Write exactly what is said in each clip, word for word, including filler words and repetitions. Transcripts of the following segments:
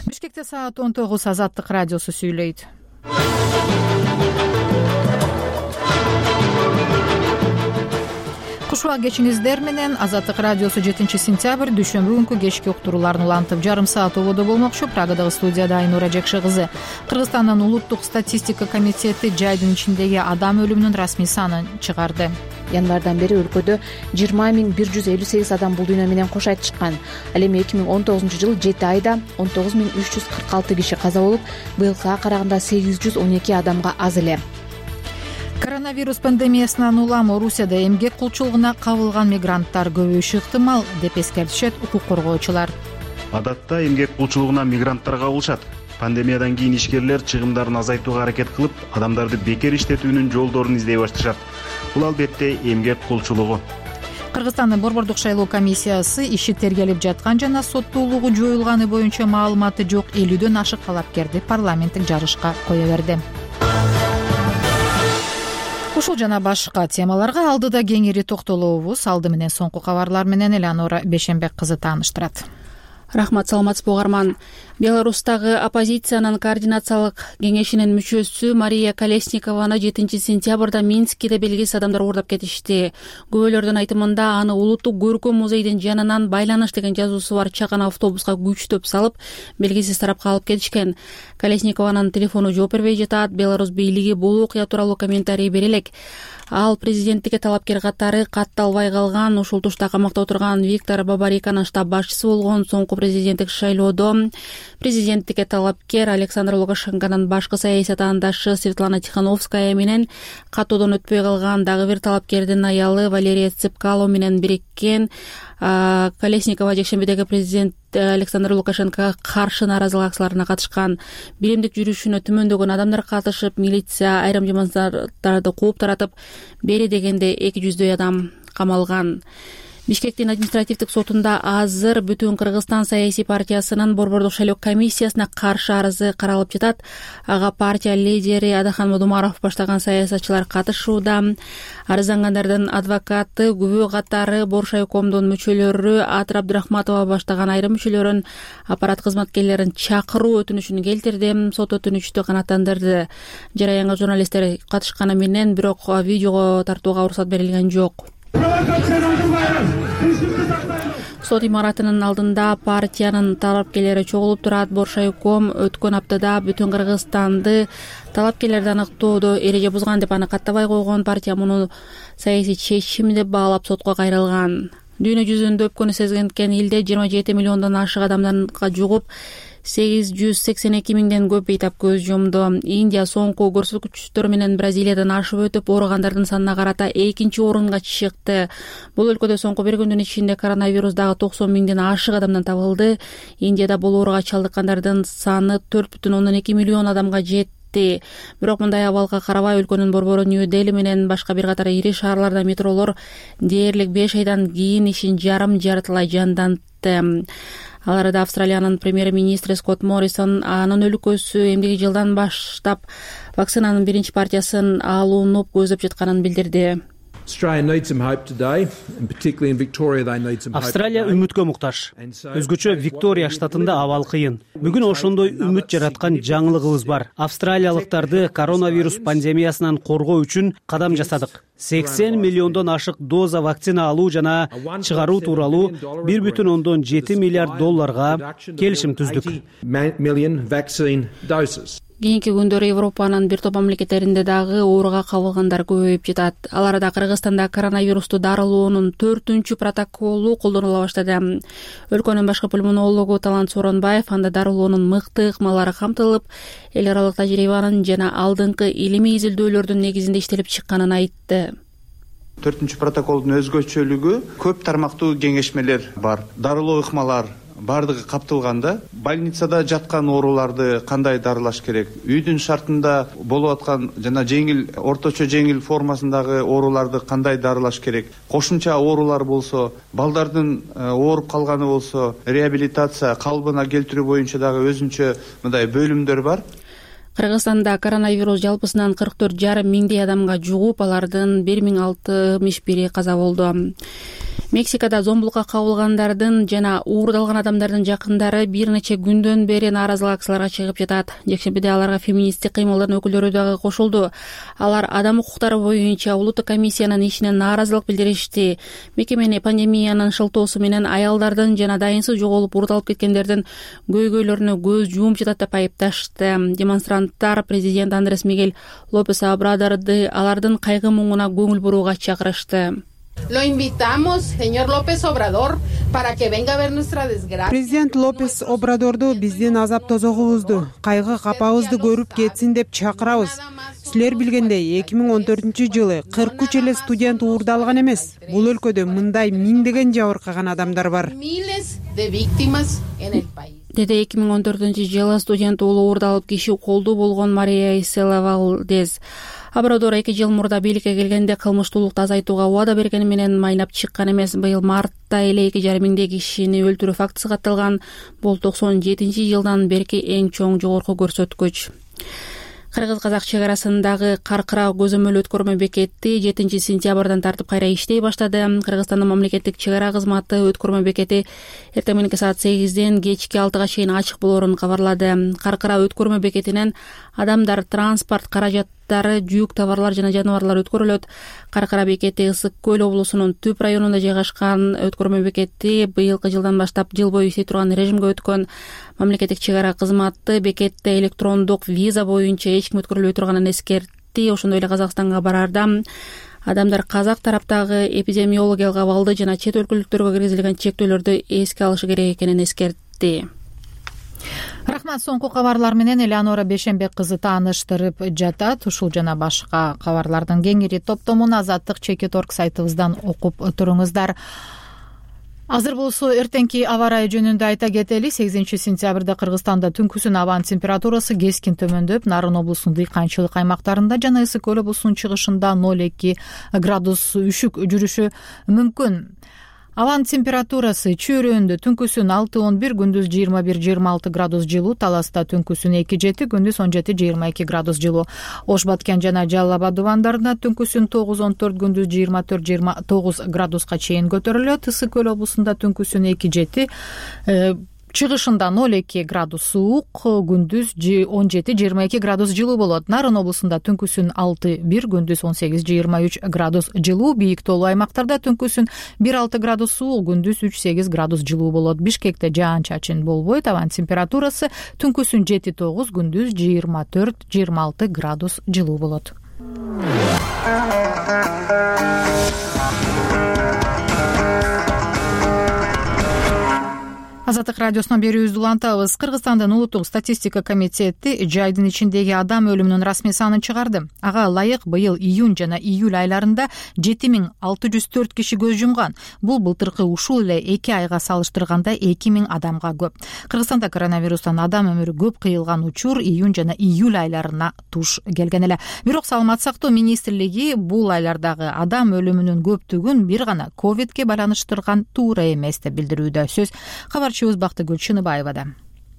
Бишкекте саат он тогуз. Азаттык радиосу сүйлөйт. Кушуа кечиңиздер менен. Азаттык радиосу жетинчи сентябрь дүйшөмбү күнкү кечки уктурууларын улантып жарым саат ободо болмокчу. Прагадагы студияда Айнура Жекши кызы. Кыргызстандын улуттук статистика комитети жайдын ичиндеги адам өлүмүнүн расмий санын чыгарды. Январдан бери өлкөдө жыйырма миң бир жүз элүү сегиз адам бул дүйнө менен кош айтышкан. Ал эми эки миң он тогузунчу жылы жети айда он тогуз миң үч жүз кырк алты киши каза болуп, быйылкыга караганда сегиз жүз он эки адамга аз эле. Коронавирус пандемиясынан улам Орусияда эмгек кулчулугуна кабылган мигранттар көбөйүшү ыктымал деп эскертишет укук коргоочулар. Адатта эмгек кулчулугуна мигранттар кабылышат. Пандемиядан кийин ишкерлер чыгымдарын азайтууга аракет кылып, адамдарды бекер иштетүүнүн жолдорун издей башташат. Бул албетте эмгек кулчулугу. Кыргызстандын борбордук шайлоо комиссиясы иши тергелип жаткан жана соттуулугу жоюлганы боюнча маалыматы жок элүүдөн ашык талапкерди парламенттик жарышка кое берди. Ушул жана башка темаларга алдыда кеңири токтолобуз. Алды менен соңку кабарлар менен Элеонора Бешенбек кызы тааныштырат. Рахмат, саламатсызбы угарман. Беларустагы оппозициянын координациялык кеңешинин мүчөсү Мария Колесникованы жетинчи сентябрда Минскиде белгисиз адамдар уурдап кетишти. Күбөлөрдүн айтымында аны улуттук көркөм музейдин жанынан байланыш деген жазуусу бар чакан автобуска күчтөп салып, белгисиз тарапка алып кетишкен. Колесникованын телефону жооп бербей жатат. Беларусь бийлиги бул окуя тууралуу комментарий бере элек. Ал президенттикке талапкер катары катталбай калган, ушул тушта камакта отурган Виктор Бабариканын штаб башчысы болгон. Соңку президенттик шайлоодо президенттикке талапкер Александр Лукашенконун башкы саясий атаандашы Светлана Тихановская менен катоодон өтпөй калган дагы бир талапкердин аялы Валерия Цепкало менен бириккен. Колесникова жекшембидеги президент Александр Лукашенкога каршы нааразылык акцияларына катышкан. Биримдик жүрүшүнө түмөндөгөн адамдар катышып, милиция айрым жамандарды кууп таратып, бери дегенде эки жүздөй адам камалган. Бишкектин административдик сотунда азыр Бүтүн Кыргызстан саясий партиясынын борбордук шайлоо комиссиясына каршы арызы каралып жатат. Ага партия лидери Адахан Модумаров баштаган саясатчылар катышууда. Арыздангандардын адвокаты, күбө катары Боршайкомдун мүчөлөрү Атыр Абдырахматова баштаган айрым мүчөлөрүн аппарат кызматкерлерин чакыруу өтүнүчүн келтирди. Сот өтүнүчтү канааттандырды. Жараянга журналисттер катышканы менен бирок видеого тартууга уруксат берилген жок. Сот имаратынын алдында партиянын талапкерлери чогулуп турат. Боршайком өткөн аптада Бүтүн Кыргызстанды талапкерлерди аныктоодо эреже бузган деп аны каттабай койгон. Партия муну саясий чечим деп баалап сотко кайрылган. Дүйнө жүзүндө өпкөнү сезген элде жыйырма жети миллиондон ашык адамдарга жугуп, сегиз жүз сексен эки миңден көп бейтап көз жумду. Индия соңку көрсөткүчтөр менен Бразилиядан ашып өтүп, ооругандардын санына карата экинчи орунга чыкты. Бул өлкөдө соңку бир күндүн ичинде коронавирус дагы токсон миңден ашык адамдан табылды. Индияда бул ооруга чалдыккандардын саны төрт бүтүн ондон эки миллион адамга жетти. Бирок мындай абалга карабай өлкөнүн борбору Нью-Дели менен башка бир катар ири шаарларда метролор дээрлик беш айдан кийин ишин жарым жартылай жандантты. Ал арада Австралиянын премьер-министри Скотт Моррисон анын өлкөсү эмдиги жылдан баштап вакцинанын биринчи партиясын алууну көздөп жатканын билдирди. Австралия үмүткө муктаж. Өзгөчө Виктория штатында абал кыйын. Бүгүн ошондой үмүт жараткан жаңылыгыбыз бар. Австралиялыктарды коронавирус пандемиясынан коргоо үчүн кадам жасадык. сексен миллиондон ашык доза вакцина алуу жана чыгаруу тууралуу бир бүтүн ондон жети миллиард долларга келишим түздүк. Кийинки күндөрү Европанын бир топ мамлекеттеринде дагы ооруга кабылгандар көбөйүп жатат. Ал арада Кыргызстанда коронавирусту дарылоонун төртүнчү протоколу колдонула баштады. Өлкөнүн башкы пульмонологу Талант Сооронбаев анда дарылоонун мыкты ыкмалары камтылып, эл аралык тажрыйбанын жана алдыңкы илимий изилдөөлөрдүн негизинде иштелип чыкканын айтты. Төртүнчү протоколдун өзгөчөлүгү көп тармактуу кеңешмелер бар. Дарылоо ыкмалар бардыгы каптылганда, больницада жаткан ооруларды кандай дарылаш керек, үйдүн шартында болуп аткан жана жеңил, орточо жеңил формасындагы ооруларды кандай дарылаш керек, кошумча оорулар болсо, балдардын ооруп калганы болсо, реабилитация, калыбына келтирүү боюнча дагы өзүнчө мындай бөлүмдөр бар. Кыргызстанда коронавирус жалпысынан кырк төрт жарым миңдей адамга жугуп, алардын бир миң алтымыш бири каза болду. Мексикада зомбулукка кабылгандардын жана уурдалган адамдардын жакындары бир нече күндөн бери нааразылык акцияларга чыгып жатат. Жекшембиде аларга феминисттик кыймылдардын өкүлдөрү дагы кошулду. Алар адам укуктары боюнча улуттук комиссиянын ишине нааразылык билдиришти. Мекемени пандемиянын шылтоосу менен аялдардын жана дайынсыз жоголуп уурдалып кеткендердин көйгөйлөрүнө көз жумуп жатат деп айыпташты. Демонстранттар президент Андрес Мигель Лопес Обрадорду алардын кайгы муңуна көңүл бурууга чакырышты. Lo invitamos, señor López Obrador, para que venga a ver nuestra desgracia. Президент Лопес Обрадорду биздин азап тозогубузду, кайгы капабызды көрүп кетсин деп чакырабыз. Силер билгендей, эки миң он төртүнчү жылы кырк үч эле студент уурдалган эмес. Бул өлкөдө мындай миңдеген жабыркаган адамдар бар. Miles de víctimas en el país. Деди эки миң он төртүнчү жылы студент уулу уурдалып киши колду болгон Мария Исела Валдес. Обрадор эки жыл мурда бийликке келгенде кылмыштуулукту азайтууга убада бергени менен майнап чыккан эмес. Быйыл мартта эле эки жарым миңдей кишини өлтүрүү фактысы катталган. Бул токсон жетинчи жылдан берки эң чоң жогорку көрсөткүч. Кыргыз-казак чек арасындагы Каркыра көзөмөл өткөрмө бекети жетинчи сентябрдан тартып кайра иштей баштады. Кыргызстандын мамлекеттик чек ара кызматы өткөрмө бекети эртең мененки саат сегизден кечки алтыга чейин ачык болоорун кабарлады. Каркыра өткөрмө бекетинен адамдар, транспорт каражаттары, жүк товарлар жана жаныбарлар өткөрүлөт. Каркыра бекети Ысык көл облусунун Түп районунда жайгашкан өткөрмө бекети быйылкы жылдан баштап жыл бою иштей турган режимге өткөн. Мамлекеттик чек ара кызматы бекетте электрондук виза боюнча эч ким өткөрүлбөй турганын эскертти. Ошондой эле Казакстанга барарда адамдар казак тараптагы эпидемиологиялык абалды жана чет өлкөлүктөргө киргизилген чектөөлөрдү эске алышы керек экенин эскертти. Рахмат. Соңку кабарлар менен Элеонора Бешенбек кызы тааныштырып жатат. Ушул жана башка кабарлардын кеңири топтомун Азаттык чекит орг сайтыбыздан окуп туруңуздар. Азыр болсо эртеңки аба ырайы жөнүндө айта кетели. сегизинчи сентябрда Кыргызстанда түнкүсүн абанын температурасы кескин төмөндөп, Нарын облусунун дыйканчылык аймактарында жана Ысык көл облусунун чыгышында ноль эки градус үшүк жүрүшү мүмкүн. Абанын температурасы Чүйрөндө түнкүсүн алты он бир, күндүз жыйырма бир жыйырма алты градус жылуу, Таласта түнкүсүн эки жети, күндүз он жети жыйырма эки градус жылуу. Ош Баткен жана Жалал Абад дубандарында түнкүсүн тогуз он төрт, күндүз жыйырма төрт жыйырма тогуз градуска чейин көтөрүлөт. Ысык көл облусунда түнкүсүн эки жети, чыгышында ноль эки градус суук, күндүз он жети жыйырма эки градус жылуу болот. Нарын облусунда түнкүсүн алты бир, күндүз он сегиз жыйырма үч градус жылуу. Бийик тоолуу аймактарда түнкүсүн бир алты градус суук, күндүз үч сегиз градус жылуу болот. Бишкекте жаан-чачын болбойт. Абанын температурасы түнкүсүн жети тогуз, күндүз жыйырма төрт жыйырма алты градус жылуу болот. Азаттык радиосунан берүүбүздү улантабыз. Кыргызстандын улуттук статистика комитети жайдын ичиндеги адам өлүмүнүн расмий санын чыгарды. Ага ылайык быйыл июнь жана июль айларында жети миң алты жүз төрт киши көз жумган. Бул былтыркы ушул эле эки айга салыштырганда эки миң адамга көп. Кыргызстанда коронавирустан адам өмүрү көп кыйылган учур июнь жана июль айларына туш келген эле. Бирок Саламаттык сактоо министрлиги бул айлардагы адам өлүмүнүн көптүгүн бир гана ковидке байланыштырган туура эмес деп билдирүүдө. Сөз кабарчыбыз Бактыгүл Чыныбаевада.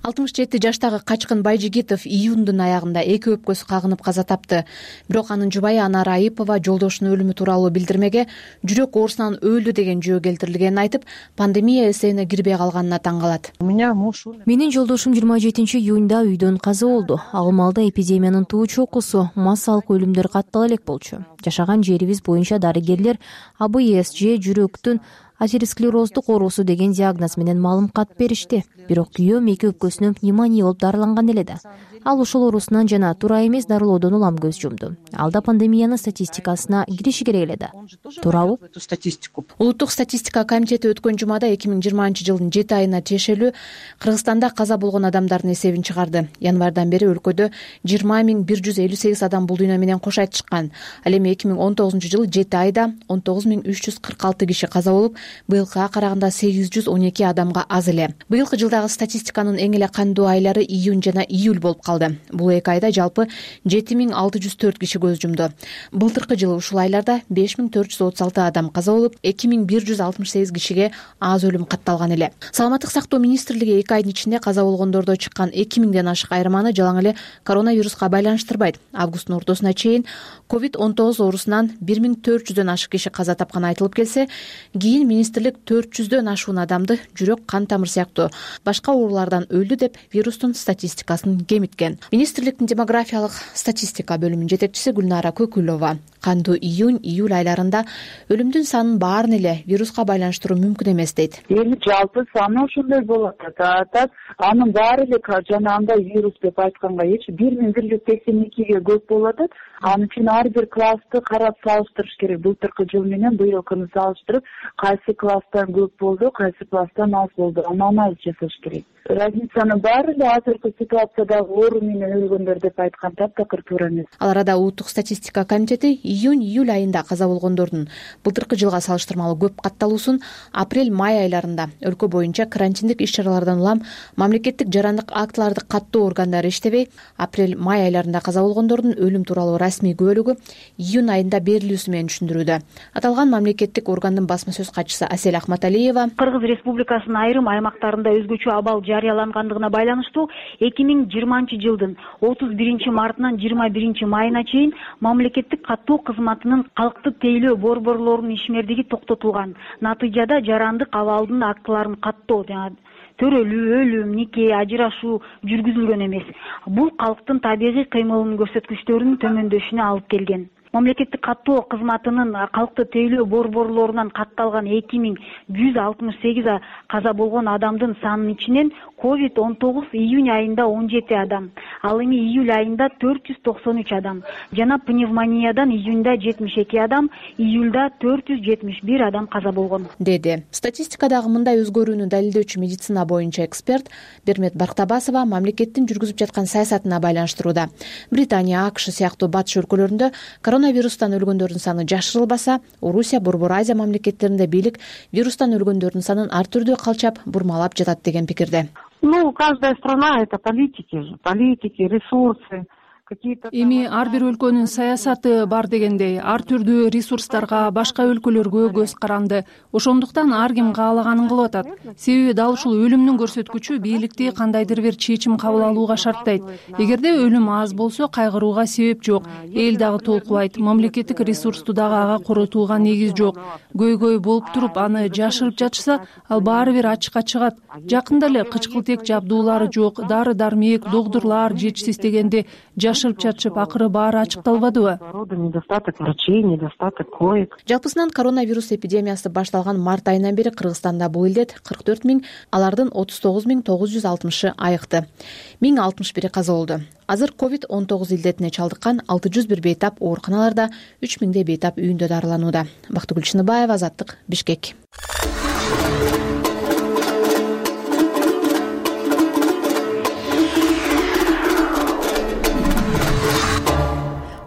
алтымыш жети жаштагы Качкын Байжигитов июндун аягында эки өпкөсү кагынып каза тапты. Бирок анын жубайы Анара Айыпова жолдошунун өлүмү тууралуу билдирмеге жүрөк оорусунан өлдү деген жөө келтирилгенин айтып, пандемия эсебине кирбей калганына таң калат. Менин жолдошум жыйырма жетинчи июнда үйдөн каза болду. Ал маалда эпидемиянын туу чокусу, массалык өлүмдөр каттала элек болчу. Жашаган жерибиз боюнча дарыгерлер А Б С же жүрөктүн атеросклероздук оорусу деген диагноз менен маалымат беришти. Бирок күйөөм эки өпкөсүнөн пневмония болуп дарыланган эле да. Ал ушул оорусунан жана туура эмес дарылоодон улам көз жумду. Ал да пандемиянын статистикасына кириши керек эле да. Туурабы? Улуттук статистика комитети өткөн жумада эки миң жыйырманчы жылдын жети айына тиешелүү Кыргызстанда каза болгон адамдардын эсебин чыгарды. Январдан бери өлкөдө жыйырма миң бир жүз элүү сегиз адам бул дүйнө менен кош айтышкан. Ал эми эки миң он тогузунчу жылы жети айда он тогуз миң үч жүз кырк алты киши каза болуп, быйылкыга караганда сегиз жүз он эки адамга аз эле. Быйылкы жылдагы статистиканын эң эле кандуу айлары июнь жана июль болуп калды. Бул эки айда жалпы жети миң алты жүз төрт киши көз жумду. Былтыркы жылы ушул айларда беш миң төрт жүз отуз алты адам каза болуп, эки миң бир жүз алтымыш сегиз кишиге аз өлүм катталган эле. Саламаттык сактоо министрлиги эки айдын ичинде каза болгондордо чыккан эки миңден ашык айырманы жалаң эле коронавируска байланыштырбайт. Августтун ортосуна чейин ковид он тогуз оорусунан бир миң төрт жүздөн ашык киши каза тапканы айтылып келсе, кийин министрлик төрт жүздөн ашуун адамды жүрөк кан тамыр сыяктуу башка оорулардан өлдү деп вирустун статистикасын кемиткен. Министрликтин демографиялык статистика бөлүмүнүн жетекчиси Гүлнара Көкүлова кандуу июнь июль айларында өлүмдүн санын баарын эле вируска байланыштыруу мүмкүн эмес дейт. Эми жалпы саны ошондой болот атат. Анын баары эле жанагындай вирус деп айтканга эч бир миң бир жүз сексен экиге көп болот атат. Анын үчүн ар бир классты карап салыштырыш керек. Былтыркы жыл менен быйылкыны салыштырып, кайсы класстан көп болду, кайсы класстан аз болду, аны анализ жасаш керек. Разницанын баары эле азыркы ситуациядагы оору менен өлгөндөр деп айткан таптакыр туура эмес. Ал арада улуттук статистика комитети июнь июль айында каза болгондордун былтыркы жылга салыштырмалуу көп катталуусун апрель май айларында өлкө боюнча карантиндик иш-чаралардан улам мамлекеттик жарандык актыларды каттоо органдары иштебей, апрель май айларында каза болгондордун өлүм тууралуу расмий күбөлүгү июнь айында берилүүсү менен түшүндүрүүдө. Аталган мамлекеттик органдын басма сөз катчысы Асель Ахматалиева Кыргыз Республикасынын айрым аймактарында өзгөчө абал жарыялангандыгына байланыштуу эки миң жыйырманчы жылдын отуз биринчи мартынан жыйырма биринчи майына чейин мамлекеттик каттоо кызматынын калкты тейлөө борборлорунун ишмердиги токтотулган. Натыйжада жарандык абалдын актыларын каттоо жана төрөлүү, өлүм, нике, ажырашуу жүргүзүлгөн эмес. Бул калктын табигый кыймылынын көрсөткүчтөрүнүн төмөндөшүнө алып келген. Мамлекеттик каттоо кызматынын калкты тейлөө борборлорунан катталган эки миң жүз алтымыш сегиз каза болгон адамдын санынын ичинен ковид он тогуз июнь айында он жети адам, ал эми июль айында төрт жүз токсон үч адам жана пневмониядан июньда жетимиш эки адам, июльда төрт жүз жетимиш бир адам каза болгон, деди. Статистикадагы мындай өзгөрүүнү далилдөөчү медицина боюнча эксперт Бермет Бактабасова мамлекеттин жүргүзүп жаткан саясатына байланыштырууда. Британия, АКШ сыяктуу батыш өлкөлөрүндө коронавирустан өлгөндөрдүн саны жашырылбаса, Орусия, Борбор Азия мамлекеттеринде бийлик вирустан өлгөндөрдүн санын ар түрдүү калчап, бурмалап жатат деген пикирде. Ну, каждая страна — это политики же, политики, ресурсы. Эми ар бир өлкөнүн саясаты бар дегендей, ар түрдүү ресурстарга, башка өлкөлөргө көз каранды. Ошондуктан ар ким каалаганын кылып атат. Себеби дал ушул өлүмдүн көрсөткүчү бийликти кандайдыр бир чечим кабыл алууга шарттайт. Эгерде өлүм аз болсо, кайгырууга себеп жок. Эл дагы толкубайт, мамлекеттик ресурсту дагы ага коротууга негиз жок. Көйгөй болуп туруп аны жашырып жатышса, ал баары бир ачыкка чыгат. Жакында эле кычкылтек жабдуулары жок, дары-дармек, доктурлар жетишсиз дегенде жашырып чачып, акыры баары ачыкталбадыбы? Недостаток врачей, недостаток коек. Жалпысынан коронавирус эпидемиясы башталган март айынан бери Кыргызстанда бул илдет кырк төрт миң, алардын отуз тогуз миң тогуз жүз алтымышы айыкты. миң алтымыш бири каза болду. Азыр ковид он тогуз илдетине чалдыккан алты жүз бир бейтап ооруканаларда, үч миңдей бейтап үйүндө дарыланууда. Бактыгүл Чыныбаева, Азаттык, Бишкек.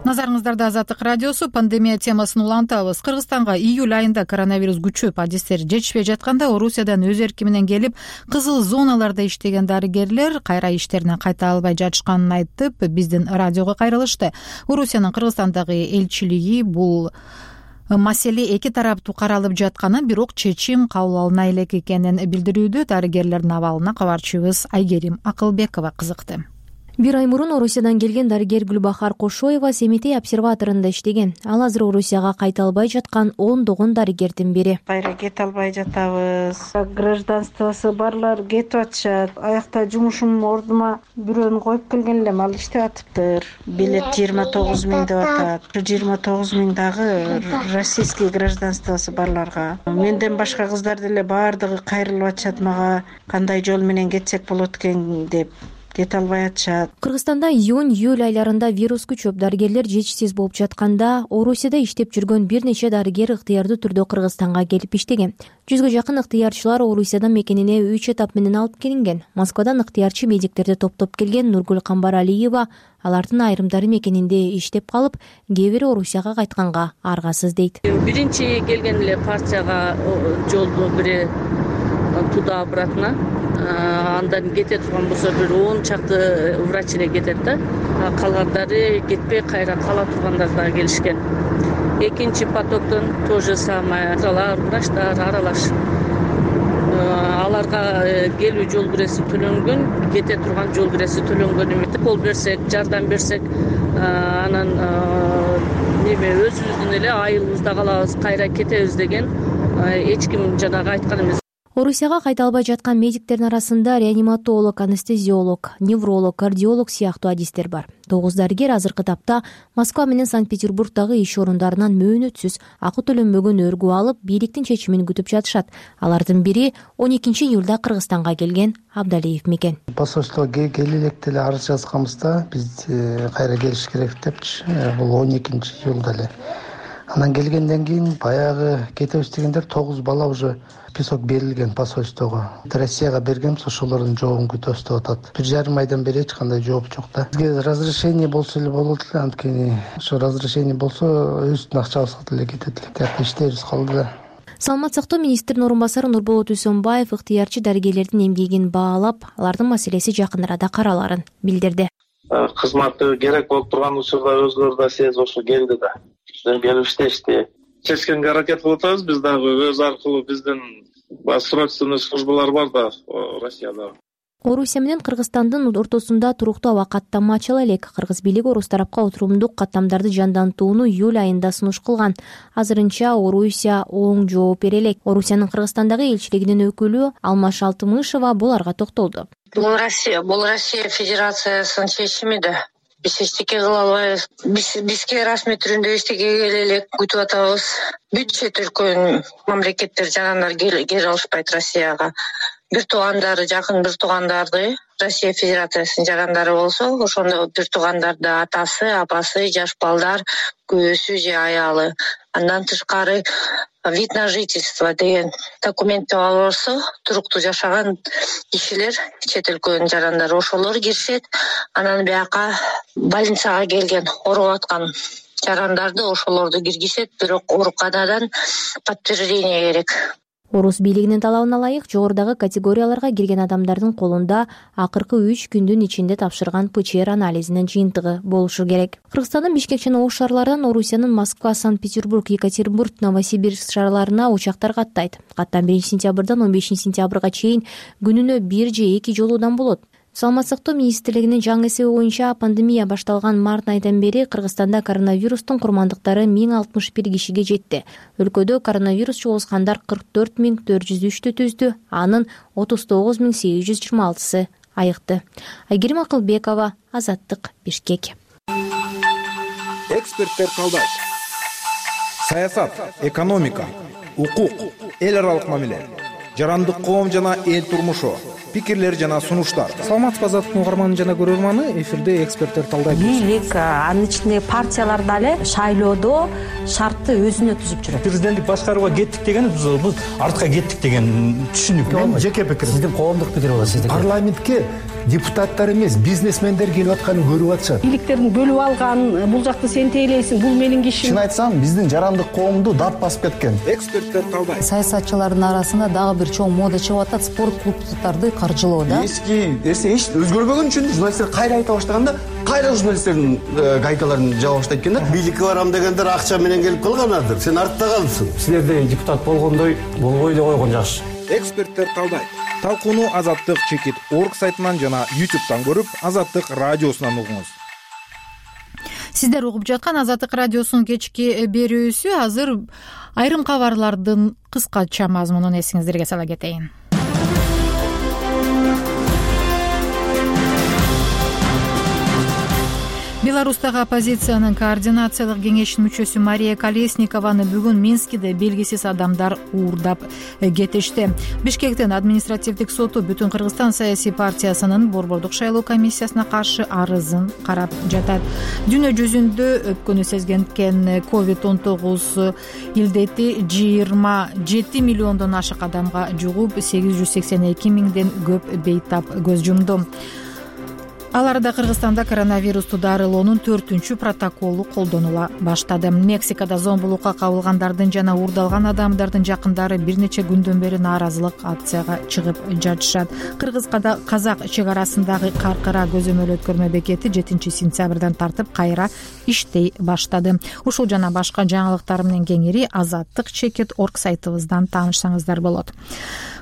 Назарыңыздарда Азаттык радиосу. Пандемия темасын улантабыз. Кыргызстанга июль айында коронавирус күчөп, адистер жетишпей жатканда Орусиядан өз эрки менен келип, кызыл зоналарда иштеген дарыгерлер кайра иштерине кайта албай жатышканын айтып, биздин радиого кайрылышты. Орусиянын Кыргызстандагы элчилиги бул маселе эки тараптуу каралып жатканын, бирок чечим кабыл алына элек экенин билдирүүдө. Дарыгерлердин абалына кабарчыбыз Айгерим Акылбекова кызыкты. Бир ай мурун Орусиядан келген дарыгер Гүлбахар Кошоева Семетей обсерваторунда иштеген. Ал азыр Орусияга кайта албай жаткан ондогон дарыгердин бири. Кайра кете албай жатабыз. Гражданствосу барлар кетип атышат. Аякта жумушум ордума бирөөнү коюп келген элем, ал иштеп атыптыр. Билет жыйырма тогуз миң деп атат. жыйырма тогуз миң дагы российский гражданствосу барларга. Менден башка кыздар деле баардыгы кайрылып атышат мага. Кандай жол менен кетсек болот экен деп. Кете албай атышат. Кыргызстанда июнь июль айларында вирус күчөп, дарыгерлер жетишсиз болуп жатканда, Орусияда иштеп жүргөн бир нече дарыгер ыктыярдуу түрдө Кыргызстанга келип иштеген. Жүзгө жакын ыктыярчылар Орусиядан мекенине үч этап менен алып келинген. Москвадан ыктыярчы медиктерди топтоп келген Нургүл Камбаралиева алардын айрымдары мекенинде иштеп калып, кээ бири Орусияга кайтканга аргасыз дейт. Биринчи келген эле партияга жолду бири туда обратно. Андан кете турган болсо бир он чакты врач эле кетет да. Калгандары кетпей кайра кала тургандар да келишкен. Экинчи потоктон то же самое. Врачтар аралаш. Аларга келүү жол киреси төлөнгөн, кете турган жол киреси төлөнгөн эмес. Кол берсек, жардам берсек, анан неме өзүбүздүн эле айылыбызда калабыз, кайра кетебиз деген эч ким жанагы айткан эмес. Орусияга кайта албай жаткан медиктердин арасында реаниматолог, анестезиолог, невролог, кардиолог сыяктуу адистер бар. Тогуз дарыгер азыркы тапта Москва менен Санкт-Петербургдагы иш орундарынан мөөнөтсүз акы төлөнбөгөн өргүү алып, бийликтин чечимин күтүп жатышат. Алардын бири он экинчи июлда Кыргызстанга келген Абдалиев мекен. Посольствого келе электе эле арыз жазганбызда биз кайра келиш керек депчи. Бул он экинчи июлда эле. Анан келгенден кийин баягы кетебиз дегендер тогуз бала уже список берилген посольствого. Россияга бергенбиз, ошолордун жообун күтөбүз деп атат. Бир жарым айдан бери эч кандай жооп жок да. Бизге разрешение болсо эле болот эле, анткени ошо разрешение болсо өзүбүздүн акчабызга деле кетет эле. Тияка иштебиз калды да. Саламат сактоо министринин орун басары Нурболот Үсөнбаев ыктыярчы дарыгерлердин эмгегин баалап, алардын маселеси жакын арада караларын билдирди. Кызматы керек болуп турган учурда өзлөрү да сезип ошо келди да. Келип иштешти. Чечкенге аракет кылып атабыз. Биз дагы өз аркылуу биздин срочный службалар бар да Россияда. Орусия менен Кыргызстандын ортосунда туруктуу аба каттама ачыла элек. Кыргыз бийлиги орус тарапка отурумдук каттамдарды жандантууну июль айында сунуш кылган. Азырынча Орусия оң жооп бере элек. Орусиянын Кыргызстандагы элчилигинин өкүлү Алмаш Алтымышева буларга токтолду. Бул Россия, бул Россия Федерациясынын чечими да. Биз эчтеке кыла албайбыз. Биз бизге расмий түрүндө эчтеке келе элек күтүп атабыз. Бүт чет өлкөнүн мамлекеттер жарандар келе алышпайт Россияга. Бир туугандары, жакын бир туугандарды Россия Федерациясынын жарандары болсо, ошондо бир туугандарды атасы, апасы, жаш балдар, күйөөсү же аялы. Андан тышкары вид на жительство деген документ алып алса, туруктуу жашаган кишилер, чет өлкөнүн жарандары ошолор киришет. Анан бияка больницага келген, ооруп аткан жарандарды ошолорду киргизет, бирок ооруканадан подтверждение керек. Орус бийлигинин талабына ылайык жогорудагы категорияларга кирген адамдардын колунда акыркы үч күндүн ичинде тапшырган ПЧР анализинин жыйынтыгы болушу керек. Кыргызстандын Бишкек жана Ош шаарларынан Орусиянын Москва, Санкт-Петербург, Екатеринбург, Новосибирск шаарларына учактар каттайт. Каттам биринчи сентябрдан он бешинчи сентябрга чейин күнүнө бир же эки жолуудан болот. Саламат сактоо министрлигинин жаңы эсеби боюнча пандемия башталган март айынан бери Кыргызстанда коронавирустун курмандыктары миң алтымыш бир кишиге жетти. Өлкөдө коронавирус жугузгандар кырк төрт миң төрт жүз үчтү түздү, анын отуз тогуз миң сегиз жүз жыйырма алтысы айыкты. Айгерим Акылбекова, Азаттык, Бишкек. Эксперттер талдайт. Саясат, экономика, укук, эл аралык мамиле, жарандык коом жана эл турмушу, пикирлер жана сунуштар. Саламатсызбы Азаттыктын угарманы жана көрөрманы, эфирде эксперттер талдайт. Бийлик, анын ичинде партиялар дагы шайлоодо шартты өзүнө түзүп жүрөт. Президенттик башкарууга кеттик деген биз артка кеттик деген түшүнүк. Менин жеке пикирим. Сиздин коомдук пикир болот, сиздин. Парламентке депутаттар эмес, бизнесмендер келип атканын көрүп атышат. Бийликтерин бөлүп алган, бул жакты сен тейлейсиң, бул менин кишим. Чын айтсам, биздин жарандык коомду дат басып кеткен. Эксперттер талдайт. Саясатчылардын арасында дагы бир чоң мода чыгып атат, спорт клубдарды каржылоо да. Эски нерсе эч өзгөрбөгөн үчүн журналисттер кайра айта баштаганда, кайра журналисттердин гайкаларын жаба баштайт экен да. Бийликке барам дегендер акча менен келип калганадыр. Сен артта калдың. Силерде депутат болгондой болбой эле койгон жакшы. Эксперттер талдайт. Талкууну Азаттык чекит орг сайтынан жана ютубтан көрүп, Азаттык радиосунан угуңуз. Сиздер угуп жаткан Азаттык радиосунун кечки берүүсү. Азыр айрым кабарлардын кыскача мазмунун эсиңиздерге сала кетейин. Беларустагы оппозициянын координациялык кеңешинин мүчөсү Мария Колесникованы бүгүн Минскиде белгисиз адамдар уурдап кетишти. Бишкектин административдик соту Бүтүн Кыргызстан саясий партиясынын борбордук шайлоо комиссиясына каршы арызын карап жатат. Дүйнө жүзүндө өпкөнү сезгенкен ковид он тогуз илдети жыйырма жети миллиондон ашык адамга жугуп, сегиз жүз сексен эки миңден көп бейтап көз жумду. Аларда Кыргызстанда коронавирусту дарылоонун төртүнчү протоколу колдонула баштады. Мексикада зомбулукка кабылгандардын жана уурдалган адамдардын жакындары бир нече күндөн бери нааразылык акцияга чыгып жатышат. Кыргыз-казак чек арасындагы Каркыра көзөмөл өткөрмө бекети жетинчи сентябрдан тартып кайра иштей баштады. Ушул жана башка жаңылыктар менен кеңири Азаттык чекит орг сайтыбыздан таанышсаңыздар болот.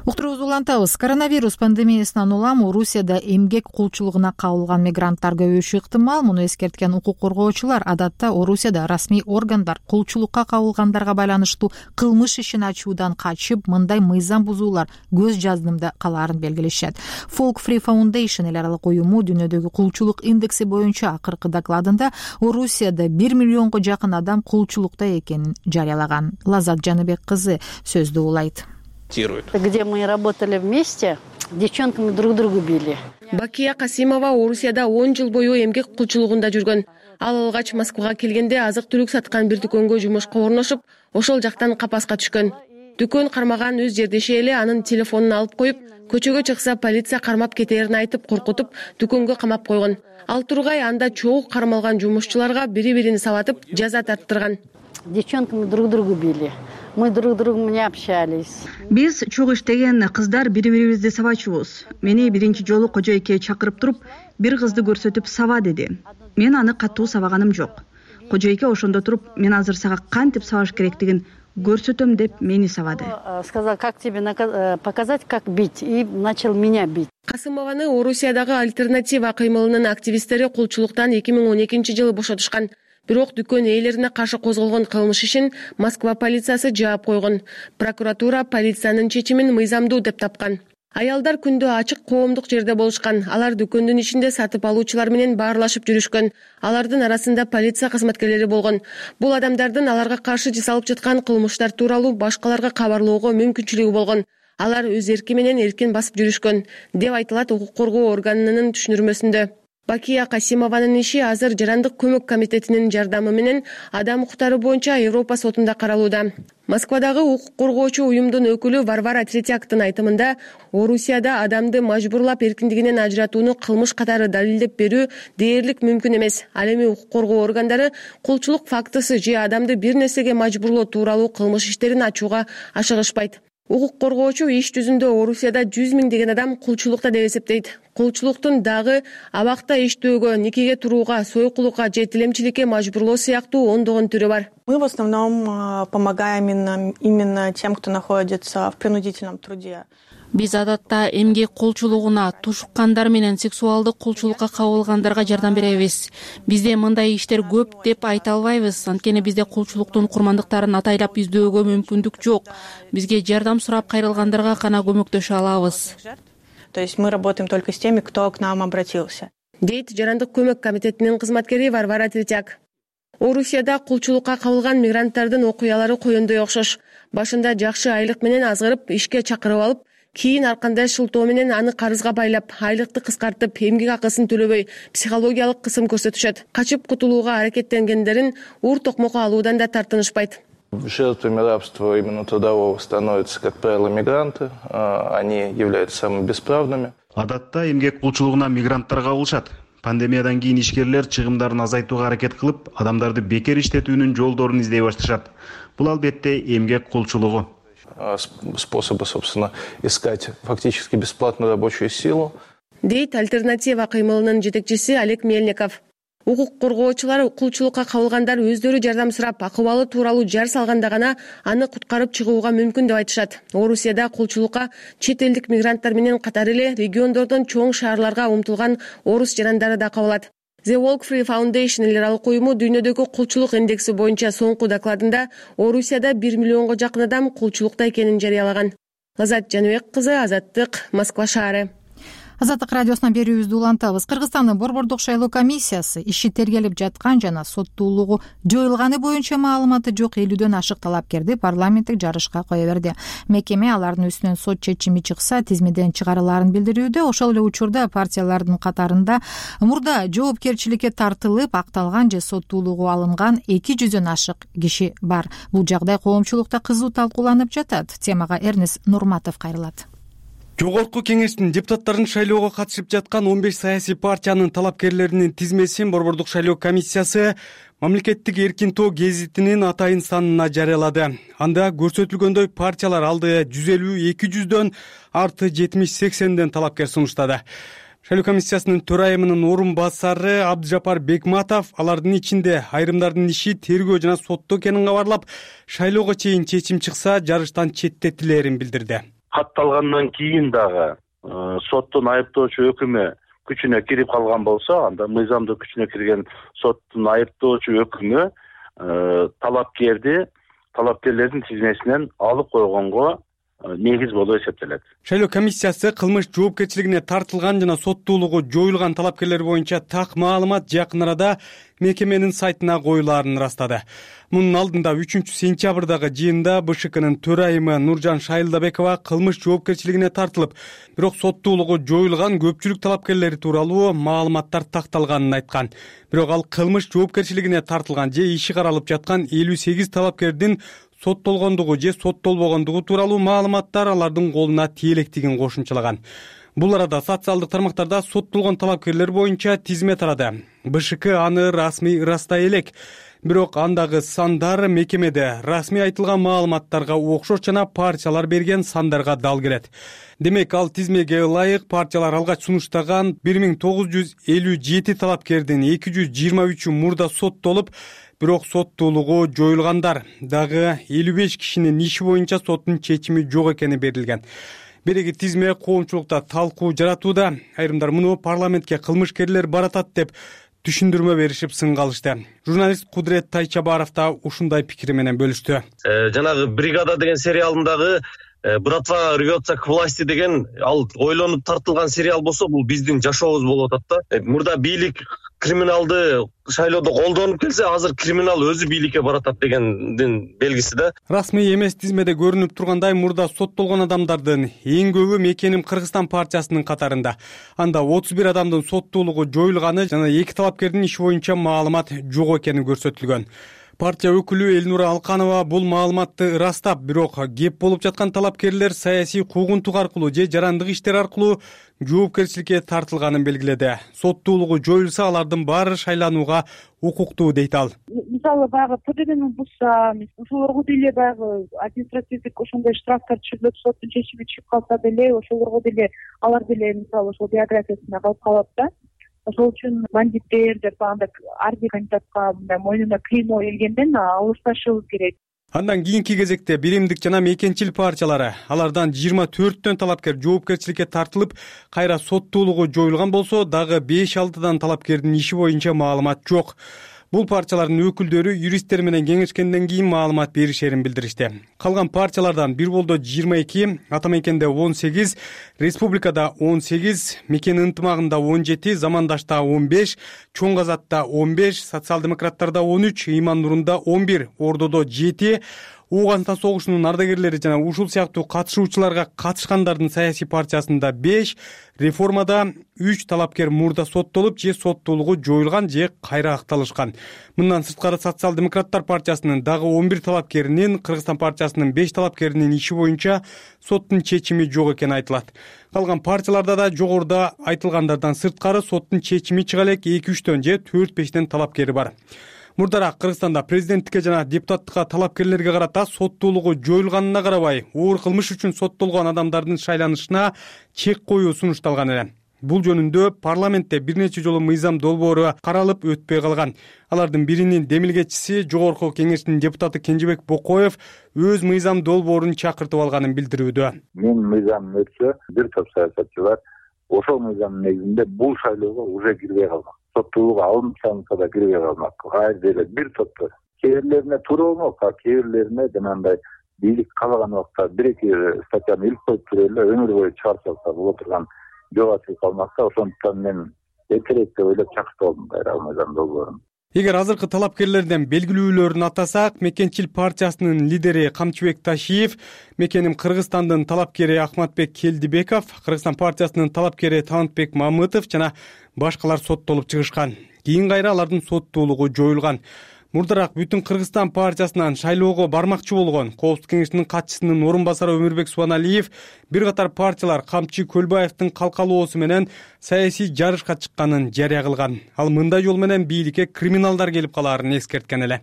Уктуруубузду улантабыз. Коронавирус пандемиясынан улам Орусияда эмгек кулчулугуна кал кабылган мигранттар көбөйүшү ыктымал. Муну эскерткен укук коргоочулар адатта Орусияда расмий органдар кулчулукка кабылгандарга байланыштуу кылмыш ишин ачуудан качып, мындай мыйзам бузуулар көз жаздымда калаарын белгилешет. Folk Free Foundation эл аралык уюму дүйнөдөгү кулчулук индекси боюнча акыркы докладында Орусияда бир миллионго жакын адам кулчулукта экенин жарыялаган. Лазат Жаныбек кызы сөздү улайт. Где мы работали вместе, девчонками друг другу били. Бакия Касимова Орусияда он жыл бою эмгек кулчулугунда жүргөн. Ал алгач Москвага келгенде азык-түлүк саткан бир дүкөнгө жумушка орношуп, ошол жактан капаска түшкөн. Дүкөн кармаган өз жердеши эле анын телефонун алып коюп, көчөгө чыкса полиция кармап кетерин айтып коркутуп, дүкөнгө камап койгон. Ал тургай анда чогуу кармалган жумушчуларга бири-бирин сабатып, жаза тарттырган. Девчонками друг другу били. Мы друг другу не общались. Биз чогуу иштеген кыздар бири-бирибизди сабачубуз. Мени биринчи жолу кожойке чакырып туруп, бир кызды көрсөтүп саба деди. Мен аны катуу сабаганым жок. Кожойке ошондо туруп, мен азыр сага кантип сабаш керектигин көрсөтөм деп мени сабады. Сказал, как тебе показать, как бить, и начал меня бить. Касымованы Орусиядагы альтернатива кыймылынын активисттери кулчулуктан эки миң он экинчи жылы бошотушкан. Бирок дүкөн ээлерине каршы козголгон кылмыш ишин Москва полициясы жаап койгон. Прокуратура полициянын чечимин мыйзамдуу деп тапкан. Аялдар күндө ачык коомдук жерде болушкан. Алар дүкөндүн ичинде сатып алуучулар менен баарлашып жүрүшкөн. Алардын арасында полиция кызматкерлери болгон. Бул адамдардын аларга каршы жасалып жаткан кылмыштар тууралуу башкаларга кабарлоого мүмкүнчүлүгү болгон. Алар өз эрки менен эркин басып жүрүшкөн, деп айтылат укук коргоо органынын түшүндүрмөсүндө. Бакия Касимованын иши азыр Жарандык көмөк комитетинин жардамы менен адам укуктары боюнча Европа сотунда каралууда. Москвадагы укук коргоочу уюмдун өкүлү Варвара Третьяктын айтымында, Орусияда адамды мажбурлап эркиндигинен ажыратууну кылмыш катары далилдеп берүү дээрлик мүмкүн эмес. Ал эми укук коргоо органдары кулчулук фактысы же адамды бир нерсеге мажбурлоо тууралуу кылмыш иштерин ачууга ашыгышпайт. Укук коргоочу иш жүзүндө Орусияда жүз миңдеген адам кулчулукта деп эсептейт. Кулчулуктун дагы абакта иштөөгө, никеге турууга, сойкулукка же тилемчиликке мажбурлоо сыяктуу ондогон түрү бар. Мы в основном помогаем именно, именно тем, кто находится в принудительном труде. Биз адатта эмгек кулчулугуна, тушуккандар менен сексуалдык кулчулукка кабылгандарга жардам беребиз. Бизде мындай иштер көп деп айта албайбыз, анткени бизде кулчулуктун курмандыктарын атайлап издөөгө мүмкүндүк жок. Бизге жардам сурап кайрылгандарга гана көмөктөшө алабыз. То есть мы работаем только с теми, кто к нам обратился. Дейт Жарандык көмөк комитетинин кызматкери Варвара Третьяк. Орусияда кулчулукка кабылган мигранттардын окуялары коёндой окшош. Башында жакшы айлык менен азгырып, ишке чакырып алып, кийин ар кандай шылтоо менен аны карызга байлап, айлыкты кыскартып, эмгек акысын төлөбөй, психологиялык кысым көрсөтүшөт. Качып кутулууга аракеттенгендерин ур токмокко алуудан да тартынышпайт. Жертвами рабства именно трудового становятся, как правило, мигранты. Они являются самыми бесправными. Адатта эмгек кулчулугуна мигранттар кабылышат. Пандемиядан кийин ишкерлер чыгымдарын азайтууга аракет кылып, адамдарды бекер иштетүүнүн жолдорун издей башташат. Бул албетте эмгек кулчулугу. Способы, собственно, искать фактически бесплатную рабочую силу. Дейт альтернатива кыймылынын жетекчиси Олег Мельников. Укук коргоочулар кулчулукка кабылгандар өздөрү жардам сурап, акыбалы тууралуу жар салганда гана аны куткарып чыгууга мүмкүн деп айтышат. Орусияда кулчулукка чет элдик мигранттар менен катар эле региондордон чоң шаарларга умтулган орус жарандары да кабылат. The Folk Free Foundation эл аралык уюму дүйнөдөгү кулчулук индекси боюнча соңку докладында Орусияда бир миллионго жакын адам кулчулукта экенин жарыялаган. Лазат Жаныбек кызы, Азаттык, Москва шаары. Азаттык радиосунан берүүбүздү улантабыз. Кыргызстандын Борбордук шайлоо комиссиясы иши тергелип жаткан жана соттуулугу жоюлганы боюнча маалыматы жок элүүдөн ашык талапкерди парламенттик жарышка кое берди. Мекеме алардын үстүнөн сот чечими чыкса тизмеден чыгарылаарын билдирүүдө. Ошол эле учурда партиялардын катарында мурда жоопкерчиликке тартылып, акталган же соттуулугу алынган эки жүздөн ашык киши бар. Бул жагдай коомчулукта кызуу талкууланып жатат. Темага Эрнес Нурматов кайрылат. Жогорку кеңештин депутаттарын шайлоого катышып жаткан он беш саясий партиянын талапкерлеринин тизмесин Борбордук шайлоо комиссиясы Мамлекеттик эркин тоо гезитинин атайын санына жарыялады. Анда көрсөтүлгөндөй партиялар алды жүз элүү эки жүздөн арты жетимиш сексенден талапкер сунуштады. Шайлоо комиссиясынын төрайымынын орун басары Абдыжапар Бекматов алардын ичинде айрымдардын иши тергөө жана сотто экенин кабарлап, шайлоого чейин чечим чыкса жарыштан четтетилерин билдирди. Катталгандан кийин дагы соттун айыптоочу өкүмү күчүнө кирип калган болсо, анда мыйзамдык күчүнө кирген соттун айыптоочу өкүмү талапкерди талапкерлердин тизмесинен алып койгонго негиз болуп эсептелет. Шайлоо комиссиясы кылмыш жоопкерчилигине тартылган жана соттуулугу жоюлган талапкерлер боюнча так маалымат жакын арада мекеменин сайтына коюлаарын ырастады. Мунун алдында үчүнчү сентябрдагы жыйында БШКнын төрайымы Нуржан Шайылдабекова кылмыш жоопкерчилигине тартылып, бирок соттуулугу жоюлган көпчүлүк талапкерлери тууралуу маалыматтар такталганын айткан. Бирок ал кылмыш жоопкерчилигине тартылган же иши каралып жаткан элүү сегиз талапкердин соттолгондугу же соттолбогондугу тууралуу маалыматтар алардын колуна тие электигин кошумчалаган. Бул арада социалдык тармактарда соттолгон талапкерлер боюнча тизме тарады. БШК аны расмий ырастай элек. Бирок андагы сандар мекемеде расмий айтылган маалыматтарга окшош жана партиялар берген сандарга дал келет. Демек, ал тизмеге ылайык партиялар алгач сунуштаган бир миң тогуз жүз элүү жети талапкердин эки жүз жыйырма үчү мурда соттолуп, бирок соттуулугу жоюлгандар. Дагы элүү беш кишинин иши боюнча соттун чечими жок экени берилген. Береги тизме коомчулукта талкуу жаратууда. Айрымдар муну парламентке кылмышкерлер баратат деп түшүндүрмө беришип сынга алышты. Журналист Кудрет Тайчабаров да ушундай пикири менен бөлүштү. Жанагы бригада деген сериалындагы Братва рвется к власти деген ал ойлонуп тартылган сериал болсо, бул биздин жашообуз болуп атат да. Мурда бийлик криминалды шайлоодо колдонуп келсе, азыр криминал өзү бийликке баратат дегендин белгиси да. Расмий эмес тизмеде көрүнүп тургандай, мурда соттолгон адамдардын эң көбү Мекеним Кыргызстан партиясынын катарында. Анда отуз бир адамдын соттуулугу жоюлганы жана эки талапкердин иши боюнча маалымат жок экени көрсөтүлгөн. Партия өкүлү Элнура Алканова бул маалыматты ырастап, бирок кеп болуп жаткан талапкерлер саясий куугунтук аркылуу же жарандык иштер аркылуу жоопкерчиликке тартылганын белгиледи. Соттуулугу жоюлса, алардын баары шайланууга укуктуу дейт ал. Мисалы баягы ПДДнын бузса, ошолорго деле баягы административдик ошондой штрафтар түшүрүлүп, соттун чечими чыгып калса деле, ошолорго деле алар деле мисалы ошол биографиясына калып калат да. Ошол үчүн бандиттер деп андай ар бир кандидатка мындай мойнуна клеймо илгенден алысташыбыз керек. Андан кийинки кезекте биримдик жана мекенчил партиялары, алардан жыйырма төрттөн талапкер жоопкерчиликке тартылып, кайра соттуулугу жоюлган болсо, дагы беш алтыдан талапкердин иши боюнча маалымат жок. Бул партиялардын өкүлдөрү юристтер менен кеңешкенден кийин маалымат беришерин билдиришти. Калган партиялардан бир болдо жыйырма эки, Ата Мекенде он сегиз, Республикада он сегиз, Мекен ынтымагында он жети, Замандашта он беш, Чоң Казатта он беш, Социал-демократтарда он үч, Иман Нурунда он бир, Ордодо жети, Ооганстан согушунун ардагерлери жана ушул сыяктуу катышуучуларга катышкандардын саясий партиясында беш, Реформада үч талапкер мурда соттолуп же соттуулугу жоюлган же кайра акталышкан. Мындан сырткары Социал-демократтар партиясынын дагы он бир талапкеринин, Кыргызстан партиясынын беш талапкеринин иши боюнча соттун чечими жок экени айтылат. Калган партияларда да жогоруда айтылгандардан сырткары соттун чечими чыга элек эки үчтөн же төрт бештен талапкери бар. Мурдараак Кыргызстанда президенттикке жана депутаттыкка талапкерлерге карата соттуулугу жоюлганына карабай, оор кылмыш үчүн соттолгон адамдардын шайланышына чек коюу сунушталган эле. Бул жөнүндө парламентте бир нече жолу мыйзам долбоору каралып өтпөй калган. Алардын биринин демилгечиси Жогорку Кеңештин депутаты Кенжебек Бокоев өз мыйзам долбоорун чакыртып алганын билдирүүдө. Мен мыйзам өтсө, бир топ саясатчылар ошол мыйзамдын негизинде бул шайлоого уже кирбей калган. Соттуулугу алынып салынса да кирбей калмак. Кайыр деле бир топто. Кээ бирлерине туура болмок, а кээ бирлерине жанагындай бийлик каалаган убакта бир-эки статьяны илип коюп туруп эле өмүр бою чыгарып салса боло турган жок ачылып калмакта, ошондуктан мен эртерээк деп ойлоп чакыртып алдым кайра мыйзам долбоорун. Эгер азыркы талапкерлерден белгилүүлөрүн атасак, Мекенчил партиясынын лидери Камчыбек Ташиев, Мекеним Кыргызстандын талапкери Ахматбек Келдибеков, Кыргызстан партиясынын талапкери Талантбек Мамытов жана башкалар соттолуп чыгышкан. Кийин кайра алардын соттуулугу жоюлган. Мурдараак Бүтүн Кыргызстан партиясынан шайлоого бармакчы болгон Коопсуздук кеңешинин катчысынын орун басары Өмүрбек Субаналиев бир катар партиялар Камчы Көлбаевдин калкалоосу менен саясий жарышка чыкканын жарыя кылган. Ал мындай жол менен бийликке криминалдар келип калаарын эскерткен эле.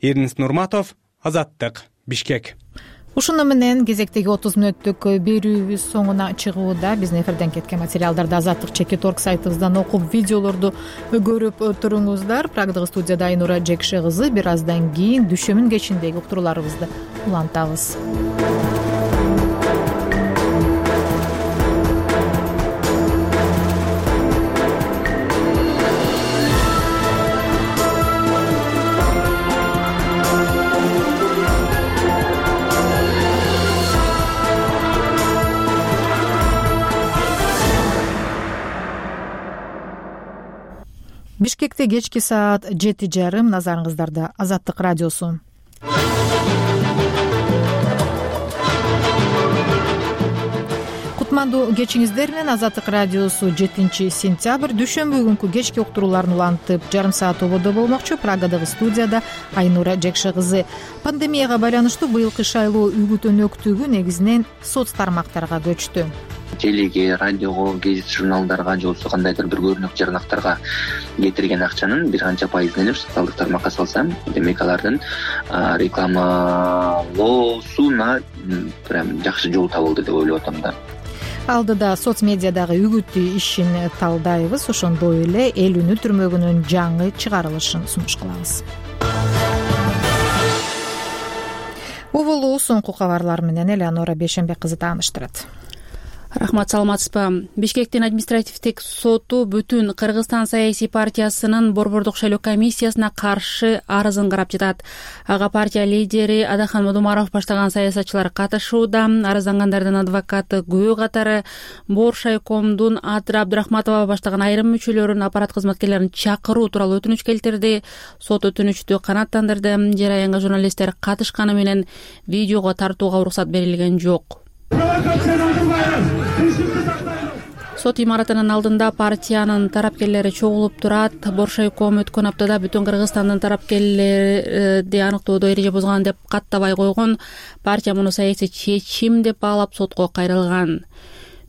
Эрнис Нурматов, Азаттык, Бишкек. Ушуну менен кезектеги отуз мүнөттүк берүүбүз соңуна чыгууда. Биздин эфирден кеткен материалдарды Азаттык чекит орг сайтыбыздан окуп, видеолорду көрүп туруңуздар. Прагдагы студияда Айнура Жекше кызы. Бир аздан кийин дүшөмүн кечиндеги уктурууларыбызды улантабыз. Бишкекте кечки саат жети жарым. Назарыңыздарда Азаттык радиосу. Кутмандуу кечиңиздер менен. Азаттык радиосу жетинчи сентябрь дүйшөмбү күнкү кечки уктурууларын улантып жарым саат ободо болмокчу. Прагадагы студияда Айнура Жекше кызы. Пандемияга байланыштуу быйылкы шайлоо үгүт-өнөктүгү негизинен соц тармактарга көчтү. Телеге, радиого, гезит журналдарга же болбосо кандайдыр бир көрүнүк жарнактарга кетирген акчанын бир канча пайызын эле социалдык тармакка салсам, демек алардын рекламалоосуна прям жакшы жол табылды деп ойлоп атам да. Алдыда соц медиадагы үгүттүү ишин талдайбыз. Ошондой эле эл үнү түрмөгүнүн жаңы чыгарылышын сунуш кылабыз. Убулуу соңку кабарлар менен Элеонора Бейшенбек кызы тааныштырат. Рахмат, саламатсызбы? Бишкектин административдик соту бүтүн Кыргызстан саясий партиясынын борбордук шайлоо комиссиясына каршы арызын карап жатат. Ага партия лидери Адахан Модумаров баштаган саясатчылар катышууда. Арыздангандардын адвокаты күбө катары Боршайкомдун Адра Абдурахматова баштаган айрым мүчөлөрүн аппарат кызматкерлерин чакыруу тууралуу өтүнүч келтирди. Сот өтүнүчтү канааттандырды. Жараянга журналисттер катышканы менен видеого тартууга уруксат берилген жок. Сот имаратынын алдында партиянын тарапкерлери чогулуп турат. Боршайком өткөн аптада бүтүн Кыргызстандын тарапкерлерди аныктоодо эреже бузган деп каттабай койгон. Партия муну саясий чечим деп баалап сотко кайрылган.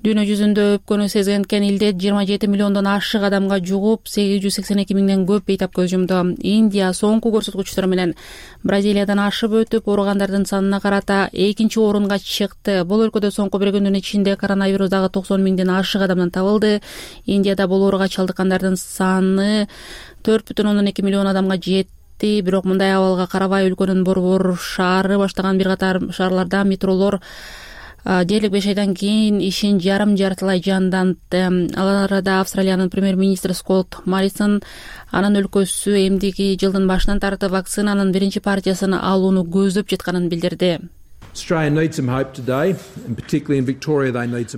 Дүйнө жүзүндө өпкөнү сезгенкен илдет жыйырма жети миллиондон ашык адамга жугуп, сегиз жүз сексен эки миңден көп бейтап көз жумду. Индия соңку көрсөткүчтөр менен Бразилиядан ашып өтүп, ооругандардын санына карата экинчи орунга чыкты. Бул өлкөдө соңку бир күндүн ичинде коронавирус дагы токсон миңден ашык адамдан табылды. Индияда бул ооруга чалдыккандардын саны төрт бүтүн ондон эки миллион адамга жетти. Бирок мындай абалга карабай өлкөнүн борбор шаары баштаган бир катар шаарларда метролор дээрлик беш айдан кийин ишин жарым жартылай жандантты. Ал арада Австралиянын премьер-министри Скотт Моррисон анын өлкөсү эмдиги жылдын башынан тартып вакцинанын биринчи партиясын алууну көздөп жатканын билдирди.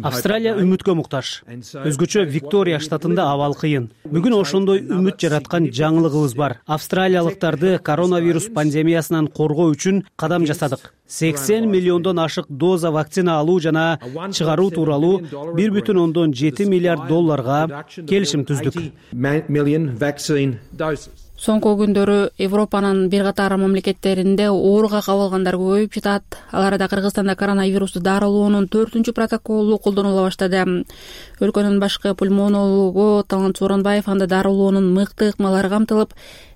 Австралия үмүткө муктаж. Өзгөчө Виктория штатында абал кыйын. Бүгүн ошондой үмүт жараткан жаңылыгыбыз бар. Австралиялыктарды коронавирус пандемиясынан коргоо үчүн кадам жасадык. сексен миллиондон ашык доза вакцина алуу жана чыгаруу тууралуу бир бүтүн ондон жети миллиард долларга келишим түздүк. Соңку күндөрү Европанын бир катар мамлекеттеринде ооруга кабылгандар көбөйүп жатат. Ал арада Кыргызстанда коронавирусту дарылоонун төртүнчү протоколу колдонула баштады. Өлкөнүн башкы пульмонологу Талант Сооронбаев анда дарылоонун мыкты ыкмалары камтылып,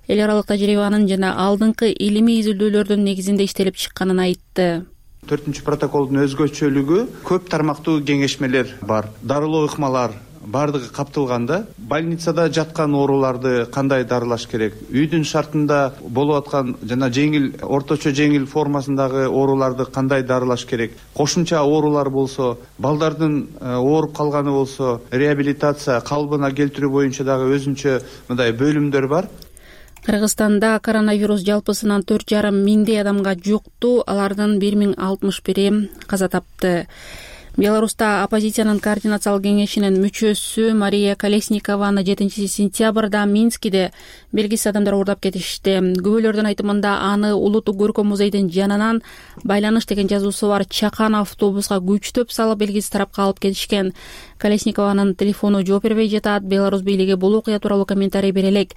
эл аралык тажрыйбанын жана алдыңкы илимий изилдөөлөрдүн негизинде иштелип чыкканын айтты. Төртүнчү протоколдун өзгөчөлүгү көп тармактуу кеңешмелер бар. Дарылоо ыкмалар бардыгы каптылганда, больницада жаткан ооруларды кандай дарылаш керек, үйдүн шартында болуп аткан жана жеңил, орточо жеңил формасындагы ооруларды кандай дарылаш керек, кошумча оорулар болсо, балдардын ооруп калганы болсо, реабилитация, калыбына келтирүү боюнча дагы өзүнчө мындай бөлүмдөр бар. Кыргызстанда коронавирус жалпысынан төрт жарым миңдей адамга жукту, алардын бир миң алтымыш бири каза тапты. Беларуста оппозициянын координациялык кеңешинин мүчөсү Мария Колесникованы жетинчи сентябрда Минскиде белгисиз адамдар уурдап кетишти. Күбөлөрдүн айтымында аны улуттук көркөм музейдин жанынан байланыш деген жазуусу бар чакан автобуска күчтөп салып белгисиз тарапка алып кетишкен. Колесникованын телефону жооп бербей жатат. Беларусь бийлиги бул окуя тууралуу комментарий бере элек.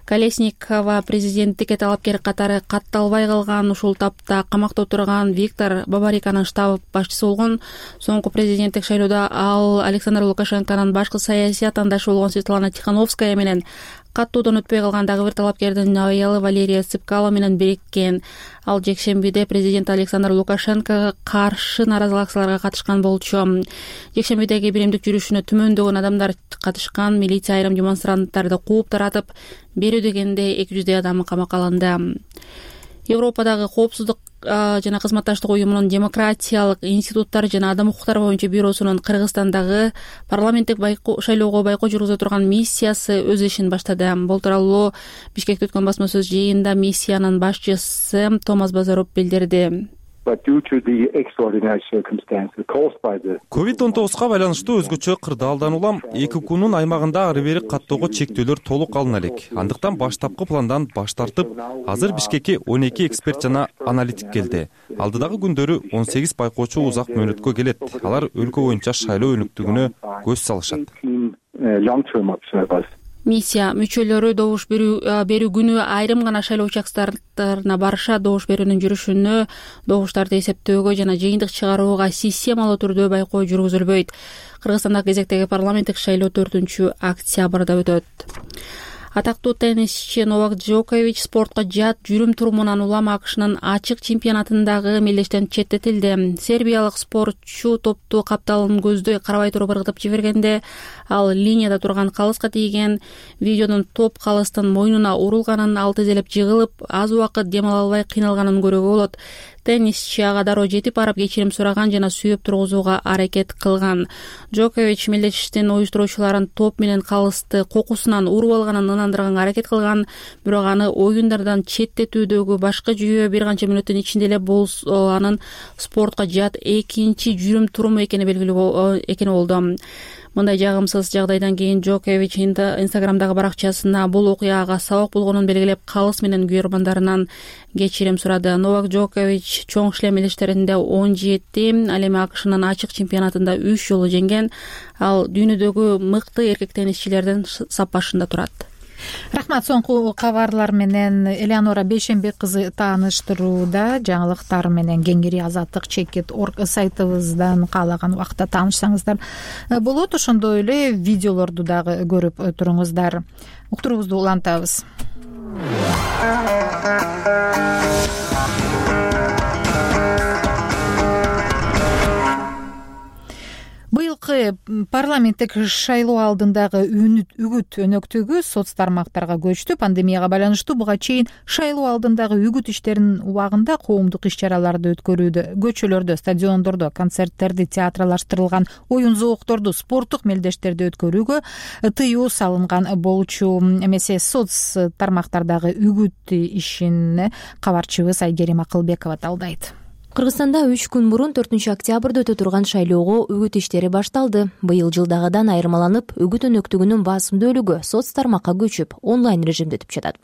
Колесникова президенттикке талапкер катары катталбай калган, ушул тапта камакта отурган Виктор Бабариканын штаб башчысы болгон. Соңку президенттик шайлоодо ал Александр Лукашенконун башкы саясий атаандашы болгон Светлана Тихановская менен каттуудан өтпөй калган дагы бир талапкердин аялы Валерия Цыпкало менен бириккен. Ал жекшембиде президент Александр Лукашенкого каршы наразылык акцияларга катышкан болчу. Жекшембидеги биримдик жүрүшүнө түмөндөгөн адамдар катышкан. Милиция айрым демонстранттарды кууп таратып, берүү дегенде эки жүздөй адам камакка алынды. Европадагы коопсуздук жана кызматташтык уюмунун демократиялык институттар жана адам укуктары боюнча бюросунун Кыргызстандагы парламенттик шайлоого байкоо жүргүзө турган миссиясы өз ишин баштады. Бул тууралуу Бишкекте өткөн басма сөз жыйынында миссиянын башчысы Томас Базаров билдирди. ковид он тогузга байланыштуу өзгөчө кырдаалдан улам эки укмнун аймагында ары бери каттоого чектөөлөр толук алына элек. Андыктан баштапкы пландан баш тартып, азыр Бишкекке он эки эксперт жана аналитик келди. Алдыдагы күндөрү он сегиз байкоочу узак мөөнөткө келет. Алар өлкө боюнча шайлоо өнүктүгүнө көз салышат. Миссия мүчөлөрү добуш берүү күнү айрым гана шайлоо участоктарына барышат. Добуш берүүнүн жүрүшүнө, добуштарды эсептөөгө жана жыйынтык чыгарууга системалуу түрдө байкоо жүргүзүлбөйт. Кыргызстандагы кезектеги парламенттик шайлоо төртүнчү октябрда өтөт. Атактуу теннисчи Новак Джокович спортко жат жүрүм турумунан улам АКШнын ачык чемпионатындагы мелдештен четтетилди. Сербиялык спортчу топту капталын көздөй карабай туруп ыргытып жибергенде ал линияда турган калыска тийген. Видеодон топ калыстын мойнуна урулганын, ал тизелеп жыгылып, аз убакыт дем ала албай кыйналганын көрүүгө болот. Теннисчи ага дароо жетип барып кечирим сураган жана сүйөп тургузууга аракет кылган. Джокович мелдештин уюштуруучуларын топ менен калысты кокусунан уруп алганын ынандырганга аракет кылган, бирок аны оюндардан четтетүүдөгү башкы жүйөө бир канча мүнөттүн ичинде эле бул анын спортко жат экинчи жүрүм туруму экени белгилүү экени болду. Мындай жагымсыз жагдайдан кийин Джокович Инстаграмдагы баракчасына бул окуяга сабак болгонун белгилеп, калыс менен күйөрмандарынан кечирим сурады. Новак Джокович чоң шлем мелдештеринде он жети, ал эми АКШнын ачык чемпионатында үч жолу жеңген. Ал дүйнөдөгү мыкты эркек теннисчилердин саппашында турат. Рахмат. Соңку кабарлар менен Элеонора Бейшенбек кызы тааныштырууда. Жаңылыктар менен кеңири азаттык чекит орг сайтыбыздан каалаган убакта таанышсаңыздар болот. Ошондой эле видеолорду дагы көрүп туруңуздар. Уктуруубузду улантабыз. Быйылкы парламенттик шайлоо алдындагы үгүт өнөктүгү соц тармактарга көчтү. Пандемияга байланыштуу буга чейин шайлоо алдындагы үгүт иштеринин убагында коомдук иш-чараларды өткөрүүдө, көчөлөрдө, стадиондордо, концерттерди, театралаштырылган оюн-зоокторду, спорттук мелдештерди өткөрүүгө тыюу салынган болчу. Эмесе соц тармактардагы үгүт ишин кабарчыбыз Айгерим Акылбекова талдайт. Кыргызстанда үч күн мурун төртүнчү октябрда өтө турган шайлоого үгүт иштери башталды. Быйыл жылдагыдан айырмаланып, үгүт өнөктүгүнүн басымдуулугу соц тармакка көчүп, онлайн режимде өтүп жатат.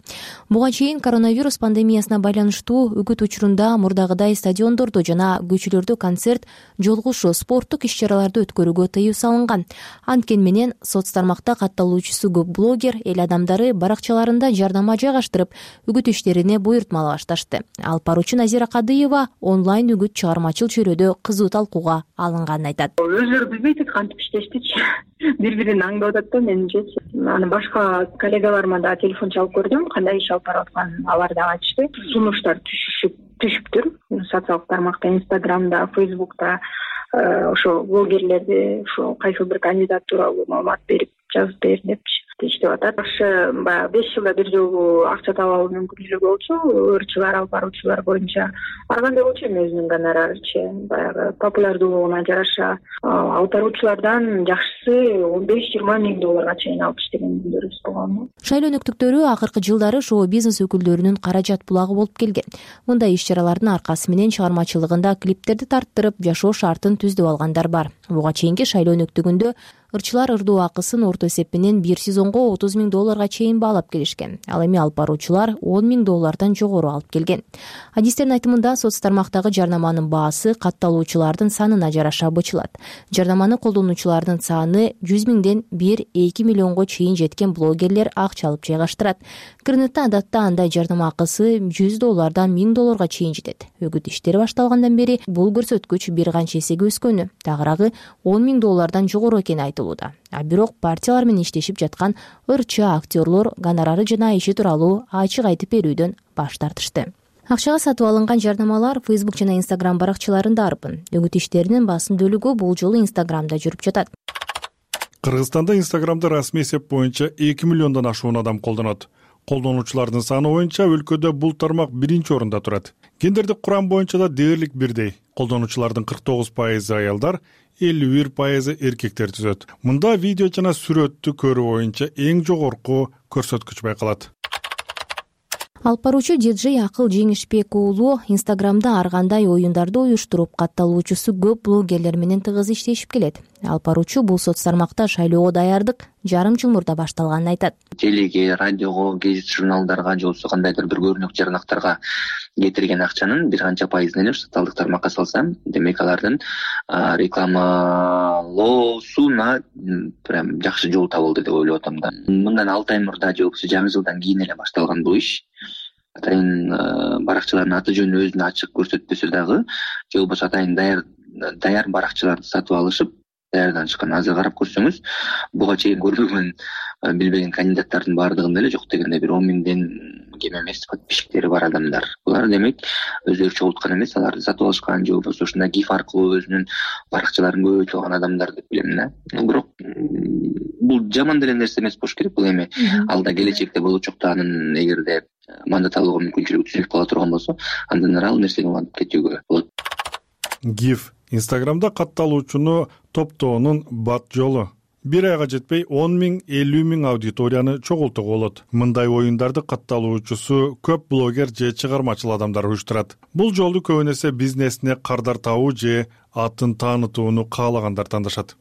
Буга чейин коронавирус пандемиясына байланыштуу үгүт учурунда мурдагыдай стадиондордо жана көчөлөрдө концерт, жолугушуу, спорттук иш-чараларды өткөрүүгө тыюу салынган. Анткени менен соц тармакта катталуучусу көп блогер эл адамдары баракчаларында жардама жайгаштырып, үгүт иштерине буйртмалай башташты. Алып баруучу Назира Кадыева онлайн үгүт чыгармачыл чөйрөдө кызуу талкууга алынганын айтат. Өзүлөрү билбейт кантип иштештичи. Бири-бирин аңдап атат да менимче. Аны башка коллегаларыма да телефон чалып көрдүм, кандай иш алып барып атканын алар да айтышты. Сунуштар түшүшүп түшүптүр. Социалдык тармакта, Инстаграмда, Фейсбукта ошо блогерлерди ошо кайсы бир кандидат тууралуу маалымат берип, жазып бер депчи иштеп атат. Ошо баягы беш жылда бир жолу акча таап алуу мүмкүнчүлүгү болчу, ырчылар, алып баруучулар боюнча. Ар кандай болчу эми өзүнүн гонорарычы, баягы популярдуулугуна жараша алып баруучулардан жакшысы он беш жыйырма миң долларга чейин алып иштеген күндөрүбүз болгон. Шайлоо өнөктүктөрү акыркы жылдары шоу-бизнес өкүлдөрүнүн каражат булагы болуп келген. Мындай иш-чаралардын аркасы менен чыгармачылыгында клиптерди тарттырып, жашоо шартын түздөп алгандар бар. Буга чейинки шайлоо өнөктүгүндө ырчылар ырдоо акысын орто эсеп менен бир сезонго отуз миң долларга чейин баалап келишкен. Ал эми алып баруучулар он миң доллардан жогору алып келген. Адистердин айтымында соц тармактагы жарнаманын баасы катталуучулардын санына жараша бычылат. Жарнаманы колдонуучулардын саны жүз миңден бир эки миллионго чейин жеткен блогерлер акча алып жайгаштырат. Кыргызстанда адатта андай жарнама акысы жүз доллардан миң долларга чейин жетет. Үгүт иштери башталгандан бери бул көрсөткүч бир канча эсеге өскөнү, тагыраагы он миң доллардан жогору экени айтылууда. А бирок партиялар менен иштешип жаткан ырчы актерлор гонорары жана иши тууралуу ачык айтып берүүдөн баш тартышты. Акчага сатып алынган жарнамалар Facebook жана Instagram баракчаларында арпын. Үгүт иштеринин басымдуулугу бул жолу Instagramда жүрүп жатат. Кыргызстанда Instagramды расмий эсеп боюнча эки миллиондон ашуун адам колдонот. Колдонуучулардын саны боюнча өлкөдө бул тармак биринчи орунда турат. Гендердик курам боюнча да дээрлик бирдей. Колдонуучулардын кырк тогуз пайызы аялдар, элүү бир пайызы эркектер түзөт. Мында видео жана сүрөттү көрүү боюнча эң жогорку көрсөткүч байкалат. Алып баруучу диджей Акыл Жеңишбек уулу Инстаграмда ар кандай оюндарды уюштуруп, катталуучусу көп блогерлер менен тыгыз иштешип келет. Алып баруучу бул соц тармакта шайлоого даярдык жарым жыл мурда башталганын айтат. Телеге, радиого, гезит журналдарга же болбосо кандайдыр бир көрүнүк жарнактарга кетирген акчанын бир канча пайызын эле социалдык тармакка салсам, демек алардын рекламалоосуна прям жакшы жол табылды деп ойлоп атам да. Мындан алты ай мурда же болбосо жаңы жылдан кийин эле башталган бул иш. Атайын баракчалардын аты жөнү өзүн ачык көрсөтпөсө дагы, же болбосо атайын даяр даяр баракчаларды сатып алышып, даярдан чыккан. Азыр карап көрсөңүз, буга чейин көрбөгөн, билбеген кандидаттардын баардыгында эле жок дегенде бир он миңден кем эмес подписчиктери бар адамдар. Булар демек өздөрү чогулткан эмес, аларды сатып алышкан же болбосо ушундай гиф аркылуу өзүнүн баракчаларын көбөйтүп алган адамдар деп билем да. Бирок бул жаман деле нерсе эмес болуш керек. Бул эми алда келечекте болочокто анын эгерде мандат алууга мүмкүнчүлүгү түзүлүп кала турган болсо, андан ары ал нерсени улантып кетүүгө болот. гиф Инстаграмда катталуучуну топтоонун бат жолу. Бир айга жетпей он миң элүү миң аудиторияны чогултууга болот. Мындай оюндарды катталуучусу көп блогер же чыгармачыл адамдар уюштурат. Бул жолду көбүн эсе бизнесине кардар табуу же атын таанытууну каалагандар тандашат.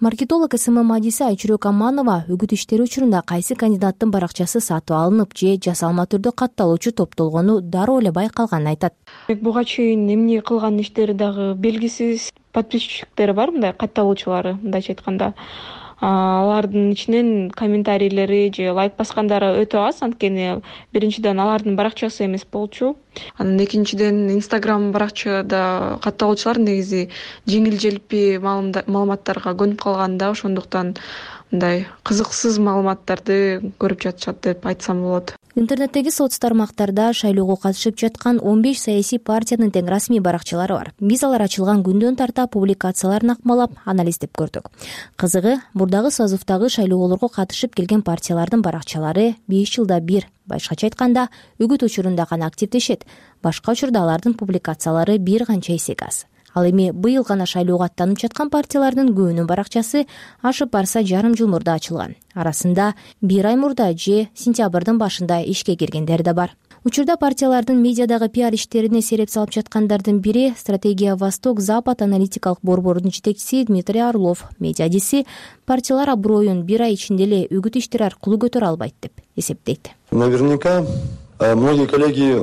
Маркетолог СМ Мадиса Айчүрөк Аманова үгүт иштери учурунда кайсы кандидаттын баракчасы сатып алынып же жасалма түрдө катталуучу топтолгону дароо эле байкалганын айтат. Буга чейин эмне кылган иштери дагы белгисиз подписчиктери бар, мындай катталуучулары, мындайча айтканда. Алардын ичинен комментарийлери же лайк баскандары өтө аз, анткени биринчиден алардын баракчасы эмес болчу. Анан экинчиден Инстаграм баракчада катталуучулар негизи жеңил желпи маалыматтарга көнүп калган да, ошондуктан мындай кызыксыз маалыматтарды көрүп жатышат деп айтсам болот. Интернеттеги соц тармактарда шайлоого катышып жаткан он беш саясий партиянын тең расмий баракчалары бар. Биз алар ачылган күндөн тарта публикацияларын акмалап, анализдеп көрдүк. Кызыгы, мурдагы созуфтагы шайлоолорго катышып келген партиялардын баракчалары беш жылда бир, башкача айтканда, үгүт учурунда гана активдешет. Башка учурда алардын публикациялары бир канча эсеге аз. Ал эми быйыл гана шайлоого аттанып жаткан партиялардын көбүнүн баракчасы ашып барса жарым жыл мурда ачылган. Арасында бир ай мурда же сентябрдын башында ишке киргендер да бар. Учурда партиялардын медиадагы пиар иштерине сереп салып жаткандардын бири Стратегия Восток-Запад аналитикалык борборунун жетекчиси Дмитрий Орлов. Медиадиси партиялар аброюн бир ай ичинде эле үгүт иштери аркылуу көтөрө албайт деп эсептейт. Наверняка многие коллеги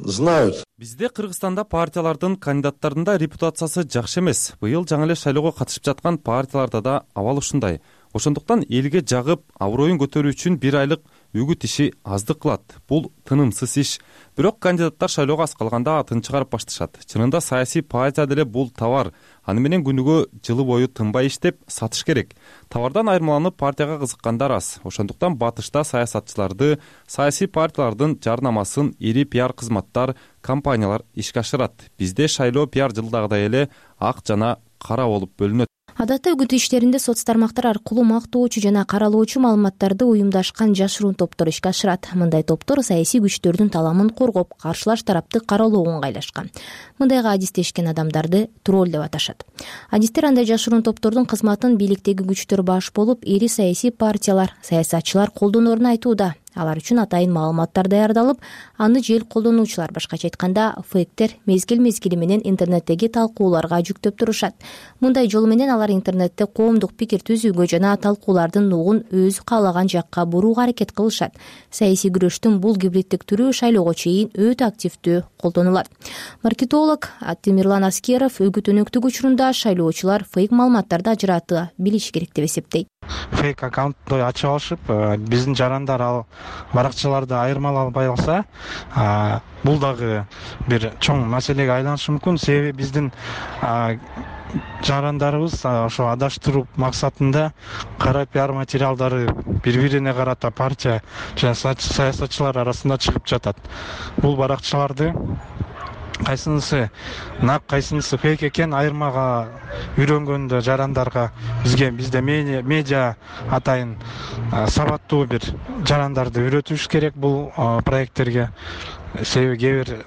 знают. Бизде Кыргызстанда партиялардын кандидаттарында репутациясы жакшы эмес. Быйыл жаңы эле шайлоого катышып жаткан партияларда да абал ушундай. Ошондуктан элге жагып, аброюн көтөрүү үчүн бир айлык үгүт иши аздык кылат. Бул тынымсыз иш. Бирок кандидаттар шайлоого аз калганда атын чыгарып башташат. Чынында саясий партия деле бул товар. Аны менен күнүгө жылы бою тынбай иштеп сатыш керек. Товардан айырмаланып партияга кызыккандар аз. Ошондуктан батышта саясатчыларды, саясий партиялардын жарнамасын ири пиар кызматтар, компаниялар ишке ашырат. Бизде шайлоо пиар жылдагыдай эле ак жана кара болуп бөлүнөт. Адатта үгүт иштеринде соц тармактар аркылуу мактоочу жана каралоочу маалыматтарды уюмдашкан жашыруун топтор ишке ашырат. Мындай топтор саясий күчтөрдүн таламын коргоп, каршылаш тарапты каралоого ыңгайлашкан. Мындайга адистешкен адамдарды тролль деп аташат. Адистер андай жашыруун топтордун кызматын бийликтеги күчтөр баш болуп, ири саясий партиялар, саясатчылар колдонорун айтууда. Алар үчүн атайын маалыматтар даярдалып, аны жел колдонуучулар, башкача айтканда, фейктер мезгил-мезгили менен интернеттеги талкууларга жүктөп турушат. Мындай жол менен алар интернетте коомдук пикир түзүүгө жана талкуулардын нугун өзү каалаган жакка бурууга аракет кылышат. Саясий күрөштүн бул гибриддик түрү шайлоого чейин өтө активдүү колдонулат. Маркетолог Тимирлан Аскеров үгүт өнөктүк учурунда шайлоочулар фейк маалыматтарды ажырата билиши керек деп эсептейт. Фейк аккаунтты ачып алышып, биздин жарандар ал баракчаларды айырмалай албай калса, бул дагы бир чоң маселеге айланышы мүмкүн. Себеби биздин жарандарыбыз ошо адаштыруу максатында кара пиар материалдары бири-бирине карата партия жана саясатчылар арасында чыгып жатат. Бул баракчаларды кайсынысы нак, кайсынысы фейк экен айырмага үйрөнгөндө жарандарга бизге бизде медиа атайын сабаттуу бир жарандарды үйрөтүш керек бул проекттерге. Себеби кээ бир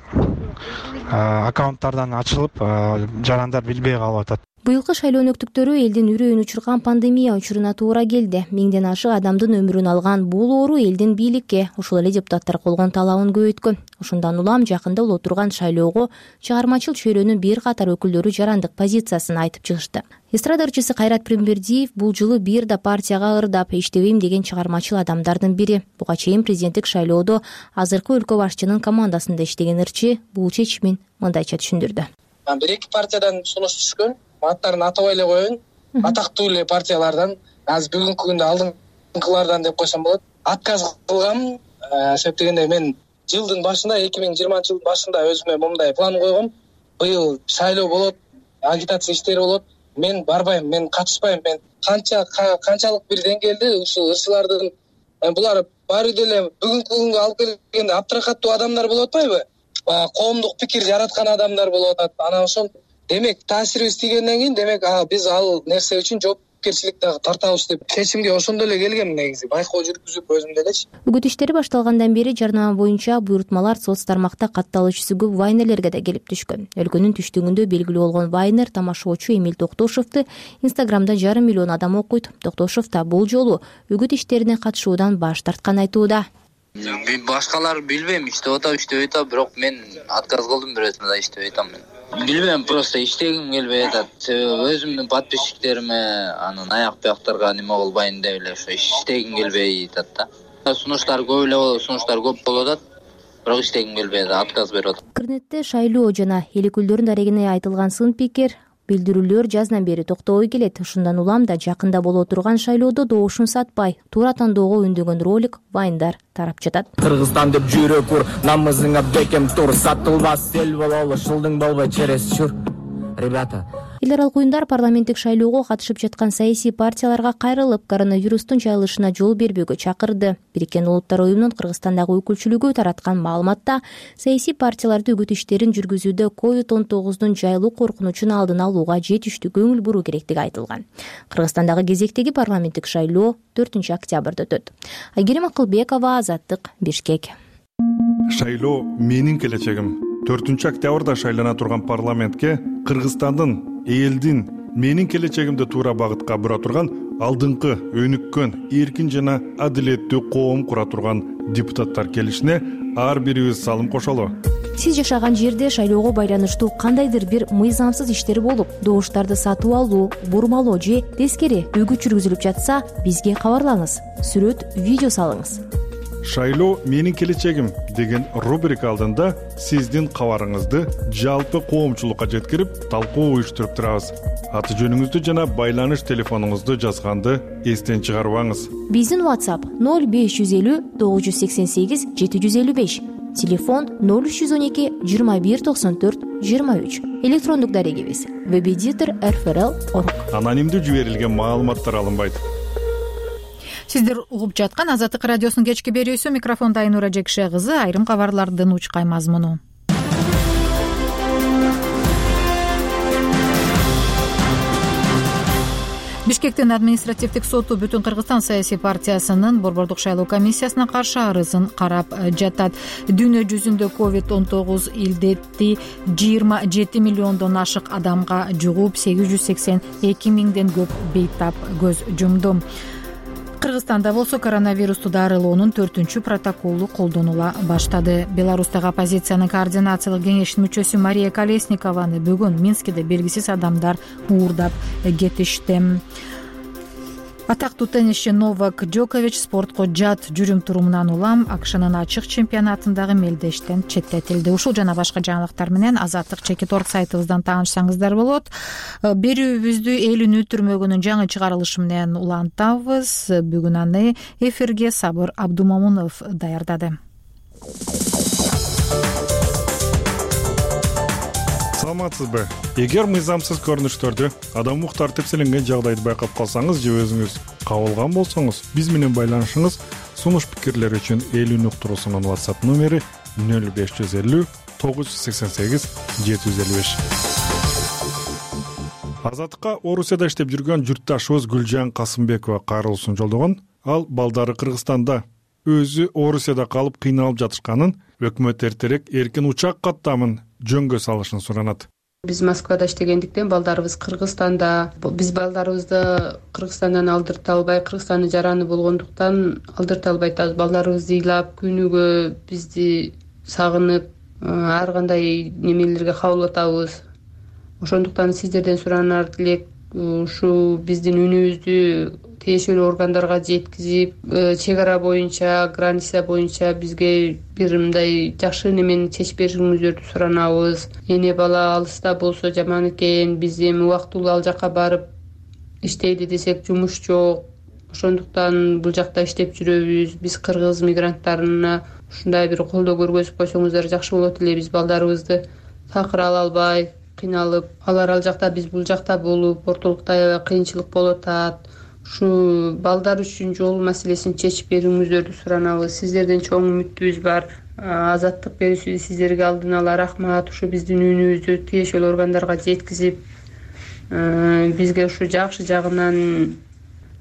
аккаунттардан ачылып жарандар билбей калып атат. Быйылкы шайлоо өнөктүктөрү элдин үрөйүн учурган пандемия учуруна туура келди. Миңден ашык адамдын өмүрүн алган бул оору элдин бийликке, ошол эле депутаттар койгон талабын көбөйткөн. Ошондон улам жакында боло турган шайлоого чыгармачыл чөйрөнүн бир катар өкүлдөрү жарандык позициясын айтып чыгышты. Эстрада ырчысы Кайрат Пирмбердиев бул жылы бир да партияга ырдап иштебейм деген чыгармачыл адамдардын бири. Буга чейин президенттик шайлоодо азыркы өлкө башчынын командасында иштеген ырчы бул чечимин мындайча түшүндүрдү. Бир эки партиядан сунуш түшкөн, аттарын атабай эле коеюн. Атактуу эле партиялардан, азыр бүгүнкү күндө алдыңкылардан деп койсом болот. Отказ кылгам, себеп дегенде мен жылдын башында эки миң жыйырманчы жылдын башында өзүмө момундай план койгом. Быйыл шайлоо болот, агитация иштери болот. Мен барбайм, мен катышпайм. Мен канча канчалык бир деңгээлде ушул ырчылардын булар баары деле бүгүнкү күнгө алып келгенде абдракаттуу адамдар болуп атпайбы? Коомдук пикир жараткан адамдар болуп атат. Анан ошол демек таасирибиз тийгенден кийин демек биз ал нерсе үчүн жоопкерчилик дагы тартабыз деп чечимге ошондо эле келгем негизи. Байкоо жүргүзүп өзүм делечи. Үгүт иштери башталгандан бери жарнама боюнча буйрутмалар соц тармакта катталуучусу көп вайнерлерге да келип түшкөн. Өлкөнүн түштүгүндө белгилүү болгон вайнер тамашачы Эмил Токтошовду Инстаграмда жарым миллион адам окуйт. Токтошов да бул жолу үгүт иштерине катышуудан баш тарткан айтууда. Башкалар билбейм, иштеп атам, иштебей атам, бирок мен отказ кылдым, бирөөсүнө да иштебей атам мен. Билбейм, просто иштегим келбей атат. Себеби өзүмдүн подписчиктериме анан аяк бияктарга неме кылбайын деп эле ошо иштегим келбей атат да. Сунуштар көп эле болот, сунуштар көп болуп атат, бирок иштегим келбей атат, отказ берип атам. Интернетте шайлоо жана эл өкүлдөрүнүн дарегине айтылган сын пикир, билдирүүлөр жаздан бери токтобой келет. Ушундан улам да жакында боло турган шайлоодо добушун сатпай, туура тандоого үндөгөн ролик, вайндар тарап жатат. Кыргызстан деп жүрөк ур, намызыңа бекем тур, сатылбас эл бололу, шылдың болбой черес чур. Ребята, эл аралык уюмдар парламенттик шайлоого катышып жаткан саясий партияларга кайрылып, коронавирустун жайылышына жол бербөөгө чакырды. Бириккен Улуттар уюмунун Кыргызстандагы өкүлчүлүгү тараткан маалыматта саясий партияларды үгүт иштерин жүргүзүүдө ковид он тогуздун жайылуу коркунучун алдын алууга жетиштүү көңүл буруу керектиги айтылган. Кыргызстандагы кезектеги парламенттик шайлоо төртүнчү октябрда өтөт. Айгерим Акылбекова, Азаттык, Бишкек. Шайлоо менин келечегим. төртүнчү октябрда шайлана турган парламентке Кыргызстандын, элдин, менин келечегимди туура багытка бура турган алдыңкы, өнүккөн, эркин жана адилеттүү коом кура турган депутаттар келишине ар бирибиз салым кошолу. Сиз жашаган жерде шайлоого байланыштуу кандайдыр бир мыйзамсыз иштер болуп, добуштарды сатып алуу, бурмалоо же тескери үгүт жүргүзүлүп жатса, бизге кабарлаңыз. Сүрөт, видео салыңыз. Шайлоо менин келечегим деген рубрика алдында сиздин кабарыңызды жалпы коомчулукка жеткирип, талкуу уюштуруп турабыз. Аты жөнүңүздү жана байланыш телефонуңузду жазганды эстен чыгарбаңыз. Биздин WhatsApp ноль беш жүз элүү тогуз жүз сексен сегиз жети жүз элүү беш, телефон ноль үч жүз он эки жыйырма бир токсон төрт жыйырма үч, электрондук дарегибиз веб-эдитор эр эф эр эл точка орг. Анонимдүү жиберилген маалыматтар алынбайт. Сиздер угуп жаткан Азаттык радиосунун кечки берүүсү, микрофондо Айнура Жекше кызы. Айрым кабарлардын учкай мазмуну. Бишкектин административдик соту Бүтүн Кыргызстан саясий партиясынын борбордук шайлоо комиссиясына каршы арызын карап жатат. Дүйнө жүзүндө ковид он тогуз илдети жыйырма жети миллиондон ашык адамга жугуп, сегиз жүз сексен эки миңден көп бейтап көз жумду. Кыргызстанда болсо коронавирусту дарылоонун төртүнчү протоколу колдонула баштады. Беларустагы оппозициянын координациялык кеңешинин мүчөсү Мария Колесникованы бүгүн Минскиде белгисиз адамдар уурдап кетишти. Атактуу теннисчи Новак Джокович спортко жат жүрүм турумунан улам АКШнын ачык чемпионатындагы мелдештен четтетилди. Ушул жана башка жаңылыктар менен Азаттык чекит орг сайтыбыздан таанышсаңыздар болот. Берүүбүздү эл үнү түрмөгүнүн жаңы чыгарылышы менен улантабыз. Бүгүн аны эфирге Сабыр Абдумомунов даярдады. Саламатсызбы? Эгер мыйзамсыз көрүнүштөрдү, адамдык тартипсизденген жагдайды байкап калсаңыз же өзүңүз кабылган болсоңуз, биз менен байланышыңыз. Сунуш пикирлер үчүн эл үнү уктуруусунун WhatsApp номери ноль беш жүз элүү тогуз жүз сексен сегиз жети жүз элүү беш. Азаттыкка Орусияда иштеп жүргөн журтташыбыз Гүлжан Касымбекова кайрылуусун жолдогон. Ал балдары Кыргызстанда, өзү Орусияда калып кыйналып жатышканын, өкмөт эртерээк эркин учак каттамын жөнгө салышын суранат. Биз Москвада иштегендиктен балдарыбыз Кыргызстанда. Биз балдарыбызды Кыргызстандан алдырта албай, Кыргызстандын жараны болгондуктан алдырта албай атабыз. Балдарыбызды ыйлап, күнүгө бизди сагынып, ар кандай немелерге кабыл атабыз. Ошондуктан сиздерден суранар тилек ушу биздин үнүбүздү тиешелүү органдарга жеткизип, чек ара боюнча, граница боюнча бизге бир мындай жакшы немени чечип беришиңиздерди суранабыз. Эне бала алыста болсо жаман экен, биз эми убактылуу ал жака барып иштейли десек жумуш жок. Ошондуктан бул жакта иштеп жүрөбүз. Биз кыргыз мигранттарына ушундай бир колдоо көргөзүп койсоңуздар жакшы болот эле. Биз балдарыбызды такыр ала албай, кыйналып, алар ал жакта, биз бул жакта болуп, ортолукта аябай кыйынчылык болуп атат. Ушу балдар үчүн жол маселесин чечип берүүңүздөрдү суранабыз. Сиздерден чоң үмүтүбүз бар. Азаттык берүүсү сиздерге алдын ала рахмат. Ушу биздин үнүбүздү тиешелүү органдарга жеткизип, бизге ушу жакшы жагынан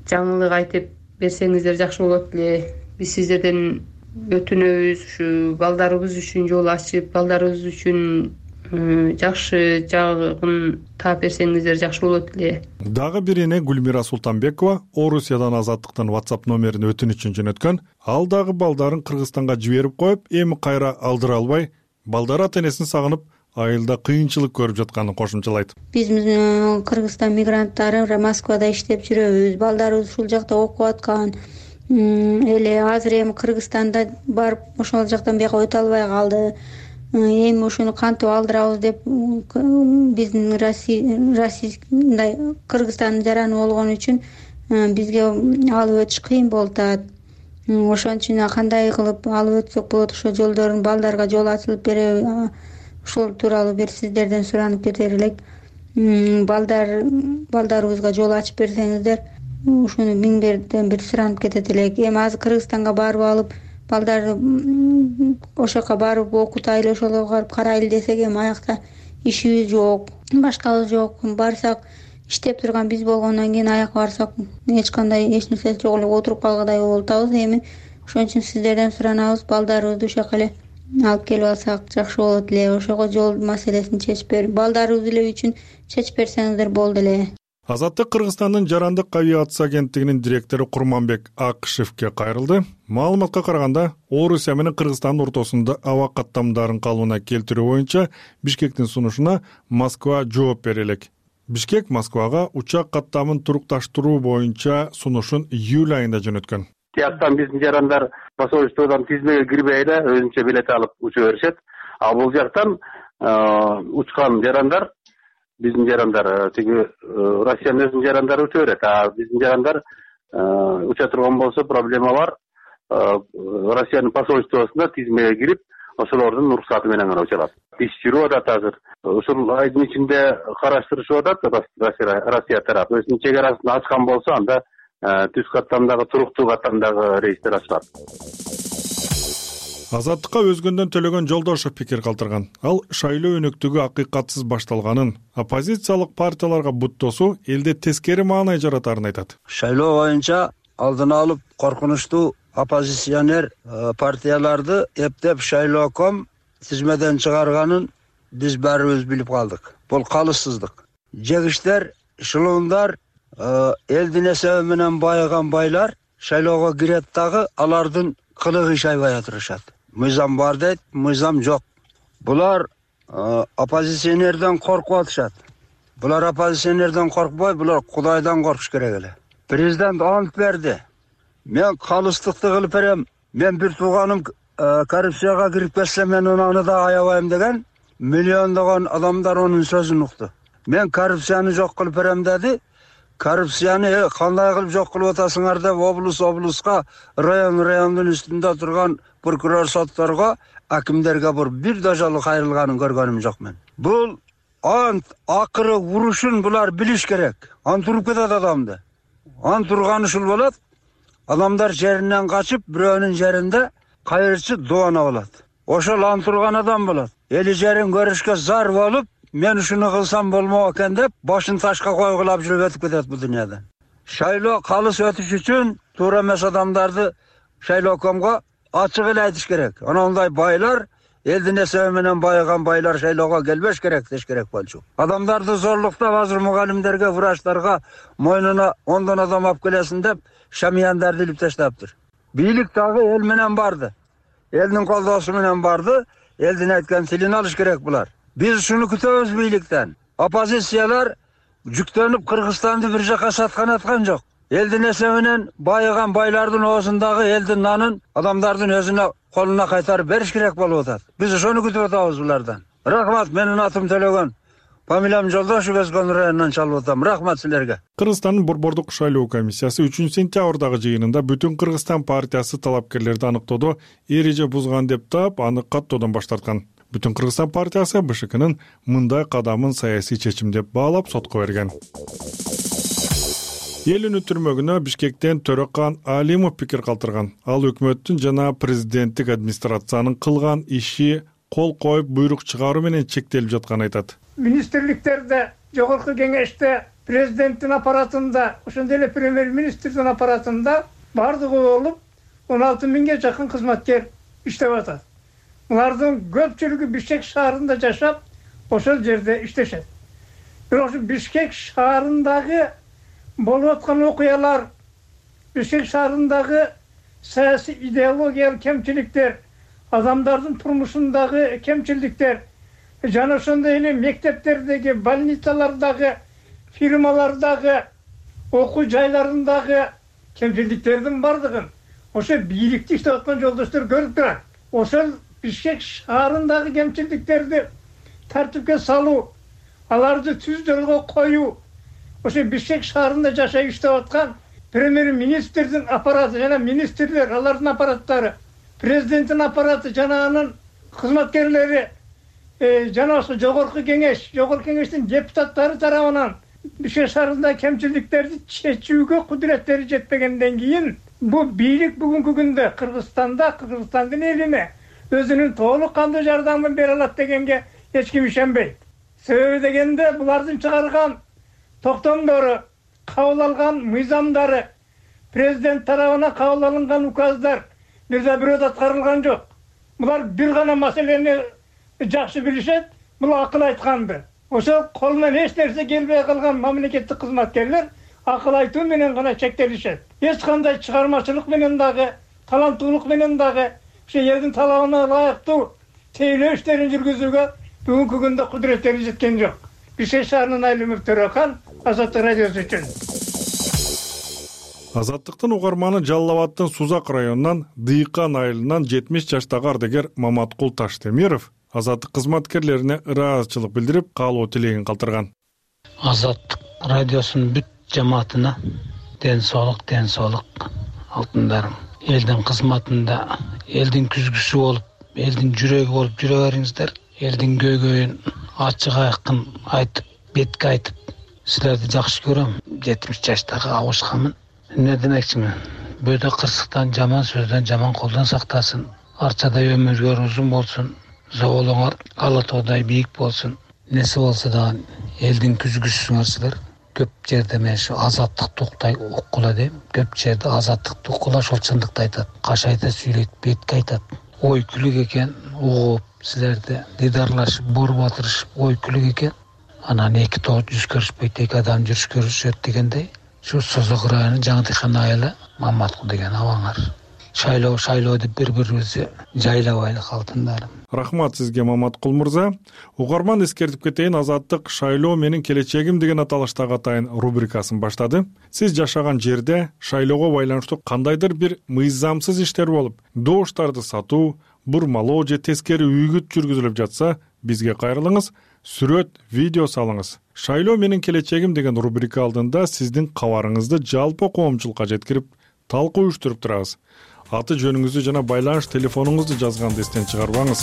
жаңылык айтып берсеңиздер жакшы болот эле. Биз сиздерден өтүнөбүз, ушу балдарыбыз үчүн жол ачып, балдарыбыз үчүн жакшы жагын таап берсеңиздер жакшы болот эле. Дагы бир эне Гүлмира Султанбекова Орусиядан Азаттыктын WhatsApp номерин өтүнүчүн жөнөткөн. Ал дагы балдарын Кыргызстанга жиберип коюп, эми кайра алдыра албай, балдары ата-энесин сагынып, айылда кыйынчылык көрүп жатканын кошумчалайт. Биз Кыргызстан мигранттары Москвада иштеп жүрөбүз. Балдарыбыз ушул жакта окуп аткан. Эле азыр эми Кыргызстанда барып, ошол жактан бияка өтө албай калды. Эми ушуну кантип алдырабыз деп биздин Россия, Кыргызстандын жараны болгон үчүн бизге алып өтүш кыйын болуп атат. Ошон үчүн кандай кылып алып өтсөк болот, ошол жолдорун балдарга жол ачылып береби, ошол тууралуу бир сиздерден суранып кетер элек. Балдар балдарыбызга жол ачып берсеңиздер, ушуну миң берден бир суранып кетет элек. Эми азыр Кыргызстанга барып алып, балдарды ошол жака барып окутайлы, ошолго барып карайлы десек, эми аякта ишибиз жок, башкабыз жок. Барсак, иштеп турган биз болгондон кийин аяка барсак, эч кандай эч нерсе жок эле, отуруп калгандай болуп атабыз. Эми ошон үчүн сиздерден суранабыз, балдарыбызды ошол жака эле алып келип алсак жакшы болот эле. Ошого жол маселесин чечип берип, балдарыбыз эле үчүн чечип берсеңиздер болду эле. Азаттык Кыргызстандын жарандык авиация агенттигинин директору Курманбек Акышевке кайрылды. Маалыматка караганда, Орусия менен Кыргызстандын ортосунда аба каттамдарын калыбына келтирүү боюнча Бишкектин сунушуна Москва жооп бере элек. Бишкек Москвага учак каттамын турукташтыруу боюнча сунушун июль айында жөнөткөн. Тияктан биздин жарандар посольстводон тизмеге кирбей эле өзүнчө билет алып уча беришет. А бул жактан учкан жарандар, биздин жарандар, тиги Россиянын өзүнүн жарандары уча берет. А биздин жарандар уча турган болсо проблема бар. Россиянын посольствосуна тизмеге кирип, ошолордун уруксаты менен гана учалат. Иш жүрүп атат азыр. Ушул айдын ичинде караштырышып атат Россия тарапы. Өзүнүн чек арасын ачкан болсо, анда түз каттамдагы, туруктуу каттамдагы рейстер ачылат. Азаттыкка өзгөндөн Төлөгөн Жолдошов пикир калтырган. Ал шайлоо өнөктүгү акыйкатсыз башталганын, оппозициялык партияларга буттосуу элде тескери маанай жаратарын айтат. Шайлоо боюнча алдын алып коркунучтуу оппозиционер партияларды эптеп шайлооком тизмеден чыгарганын биз баарыбыз билип калдык. Бул калыссыздык. Жегиштер, шылуундар, элдин эсеби менен байыган байлар шайлоого кирет дагы алардын кылыгы шайбай отурушат. Мыйзам бар дейт, мыйзам жок. Булар оппозиционерден коркуп атышат. Булар оппозиционерден коркпой, булар Кудайдан коркуш керек эле. Президент ант берди. Мен калыстыкты кылып берем. Мен бир тууганым коррупцияга кирип кетсе, мен аны да аябайм деген миллиондогон адамдар онун сөзүн укту. Мен коррупцияны жок кылып берем деди. Коррупцияны кандай кылып жок кылып атасыңар деп облус облуска, район райондун үстүндө турган прокурор сотторго, акимдерге бир да жолу кайрылганын көргөнүм жок мен. Бул ант акыры урушун булар билиш керек. Ант уруп кетет адамды. Ант турган ушул болот. Адамдар жеринен качып, бирөөнүн жеринде кайрычы доона болот. Ошол ант турган адам болот. Эли жерин көрүшкө зар болуп, мен ушуну кылсам болмок экен деп, башын ташка койгулап жүрүп өтүп кетет бу дүйнөдөн. Шайлоо калыс өтүш үчүн туура эмес адамдарды шайлоокомго ачык эле айтыш керек. Анандай байлар элдин эсеби менен байыган байлар шайлоого келбеш керек деш керек болчу. Адамдарды зорлуктап азыр мугалимдерге, врачтарга мойнуна ондон адам алып келесин деп шамияндарды илип таштаптыр. Бийлик дагы эл менен барды. Элдин колдоосу менен барды. Элдин айткан тилин алыш керек булар. Биз шуну күтөбүз бийликтен. Оппозициялар жүктөнүп Кыргызстанды бир жака саткан аткан жок. Элдин эсебинен байыган байлардын оозундагы элдин нанын адамдардын өзүнө колуна кайтарып бериш керек болуп атат. Биз ошону күтүп атабыз булардан. Рахмат, менин атым Төлөгөн. Фамилиям Жолдошев, Эскон районунан чалып атам. Рахмат силерге. Кыргызстандын Борбордук шайлоо комиссиясы үчүнчү сентябрдагы жыйынында Бүтүн Кыргызстан партиясы талапкерлерди аныктоодо эреже бузган деп таап, аны каттоодон баш тарткан. Бүтүн Кыргызстан партиясы БШКнын мындай кадамын саясий чечим деп баалап сотко берген. Эл үнү түрмөгүнө Бишкектен Төрөкан Алимов пикир калтырган. Ал өкмөттүн жана президенттик администрациянын кылган иши кол коюп буйрук чыгаруу менен чектелип жатканын айтат. Министрликтерде, жогорку кеңеште, президенттин аппаратында, ошондой эле премьер-министрдин аппаратында бардыгы болуп он алты миңге жакын кызматкер иштеп атат. Булардын көпчүлүгү Бишкек шаарында жашап, ошол жерде иштешет. Бирок ошо Бишкек шаарындагы болуп аткан окуялар, Бишкек шаарындагы саясий идеологиялык кемчиликтер, адамдардын турмушундагы кемчиликтер, жана ошондой эле мектептердеги, больницалардагы, фирмалардагы, окуу жайларындагы кемчиликтердин бардыгын ошо бийликте иштеп аткан жолдоштор көрүп турат. Ошол Бишкек шаарындагы кемчиликтерди тартипке салуу, аларды түз жолго коюу, ошо Бишкек шаарында жашап иштеп аткан премьер-министрдин аппараты жана министрлер, алардын аппараттары, президенттин аппараты жана анын кызматкерлери, жана ошо жогорку кеңеш, жогорку кеңештин депутаттары тарабынан Бишкек шаарындагы кемчиликтерди чечүүгө кудуреттери жетпегенден кийин бу бийлик бүгүнкү күндө Кыргызстанда, Кыргызстандын элине өзүнүн толук кандуу жардамын бере алат дегенге эч ким ишенбейт. Себеби дегенде булардын чыгарган токтомдору, кабыл алган мыйзамдары, президент тарабынан кабыл алынган указдар бир да бирөө аткарылган жок. Булар бир гана маселени жакшы билишет, бул акыл айтканды. Ошо колунан эч нерсе келбей калган мамлекеттик кызматкерлер акыл айтуу менен гана чектелишет. Эч кандай чыгармачылык менен дагы, таланттуулук менен дагы ошо элдин талабына ылайыктуу тейлөө иштерин жүргүзүүгө бүгүнкү күндө кудуреттери жеткен жок. Бишкек шаарынын Алимов Төрөкан, Азаттык радиосу үчүн. Азаттыктын угарманы Жалал Абаддын Сузак районунан Дыйкан айылынан жетимиш жаштагы ардагер Маматкул Таштемиров Азаттык кызматкерлерине ыраазычылык билдирип, каалоо тилегин калтырган. Азаттык радиосунун бүт жамаатына ден соолук, ден соолук алтындарым. Элдин кызматында, элдин күзгүсү болуп, элдин жүрөгү болуп жүрө бериңиздер. Элдин көйгөйүн ачык айкын айтып, бетке айтып, силерди жакшы көрөм. жетимиш жаштагы абышкамын. Эмне демекчимин? Бөөдө кырсыктан, жаман сөздөн, жаман колдон сактасын. Арчадай өмүргөр узун болсун. Зоолуңар ала тоодай бийик болсун. Неси болсо дагы элдин күзгүсүңөр силер. Көп жерде мен ушу азаттыкты уктай уккула дейм. Көп жерде азаттыкты уккула, ошол чындыкты айтат. Кашайта сүйлөйт, бетке айтат. Ой күлүк экен, угуп силерди дидарлашып, бор батырышып, ой күлүк экен. Анан эки тоо жүз көрүшпөйт, эки адам жүрүш көрүшөт дегендей. Şu Sozok rayonu Жаңдыхан айылы Маматкул деген абаңар. Шайлоо шайлоо деп бири-бирибизди жайлабайлы алтындарым. Рахмат сизге Маматкул мырза. Угарман эскертип кетейин, Азаттык шайлоо менин келечегим деген аталыштагы атайын рубрикасын баштады. Сиз жашаган жерде шайлоого байланыштуу кандайдыр бир мыйзамсыз иштер болуп, добуштарды сатуу, бурмалоо же тескери үйгүт жүргүзүлүп жатса, бизге кайрылыңыз, сүрөт, видео салыңыз. Шайлоо менин келечегим деген рубрика алдында сиздин кабарыңызды жалпы коомчулукка жеткирип, талкуу уюштуруп турабыз. Аты жөнүңүздү жана байланыш телефонуңузду жазганды эстен чыгарбаңыз.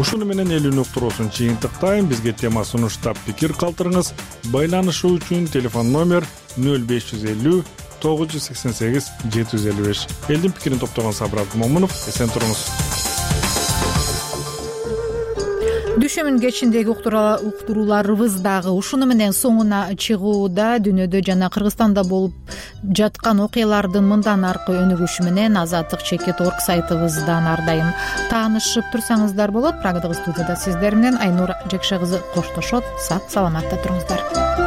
Ушуну менен эл үнү уктуруусун чыйынтыктайм. Бизге тема сунуштап пикир калтырыңыз. Байланышуу үчүн телефон номер нөл беш жүз элүү тогуз жүз сексен сегиз жети жүз элүү беш. Элдин пикирин топтогон Сабыр Абдымомунов, эсен туруңуз. Дүшүмүн кечиндеги уктурууларыбыз дагы ушуну менен соңуна чыгууда. Дүйнөдө жана Кыргызстанда болуп жаткан окуялардын мындан аркы өнүгүшү менен азаттык чекит орг сайтыбыздан ар дайым таанышып турсаңыздар болот. Прагадагы студияда сиздер менен Айнура Жекше кызы коштошот. Сак саламатта туруңуздар.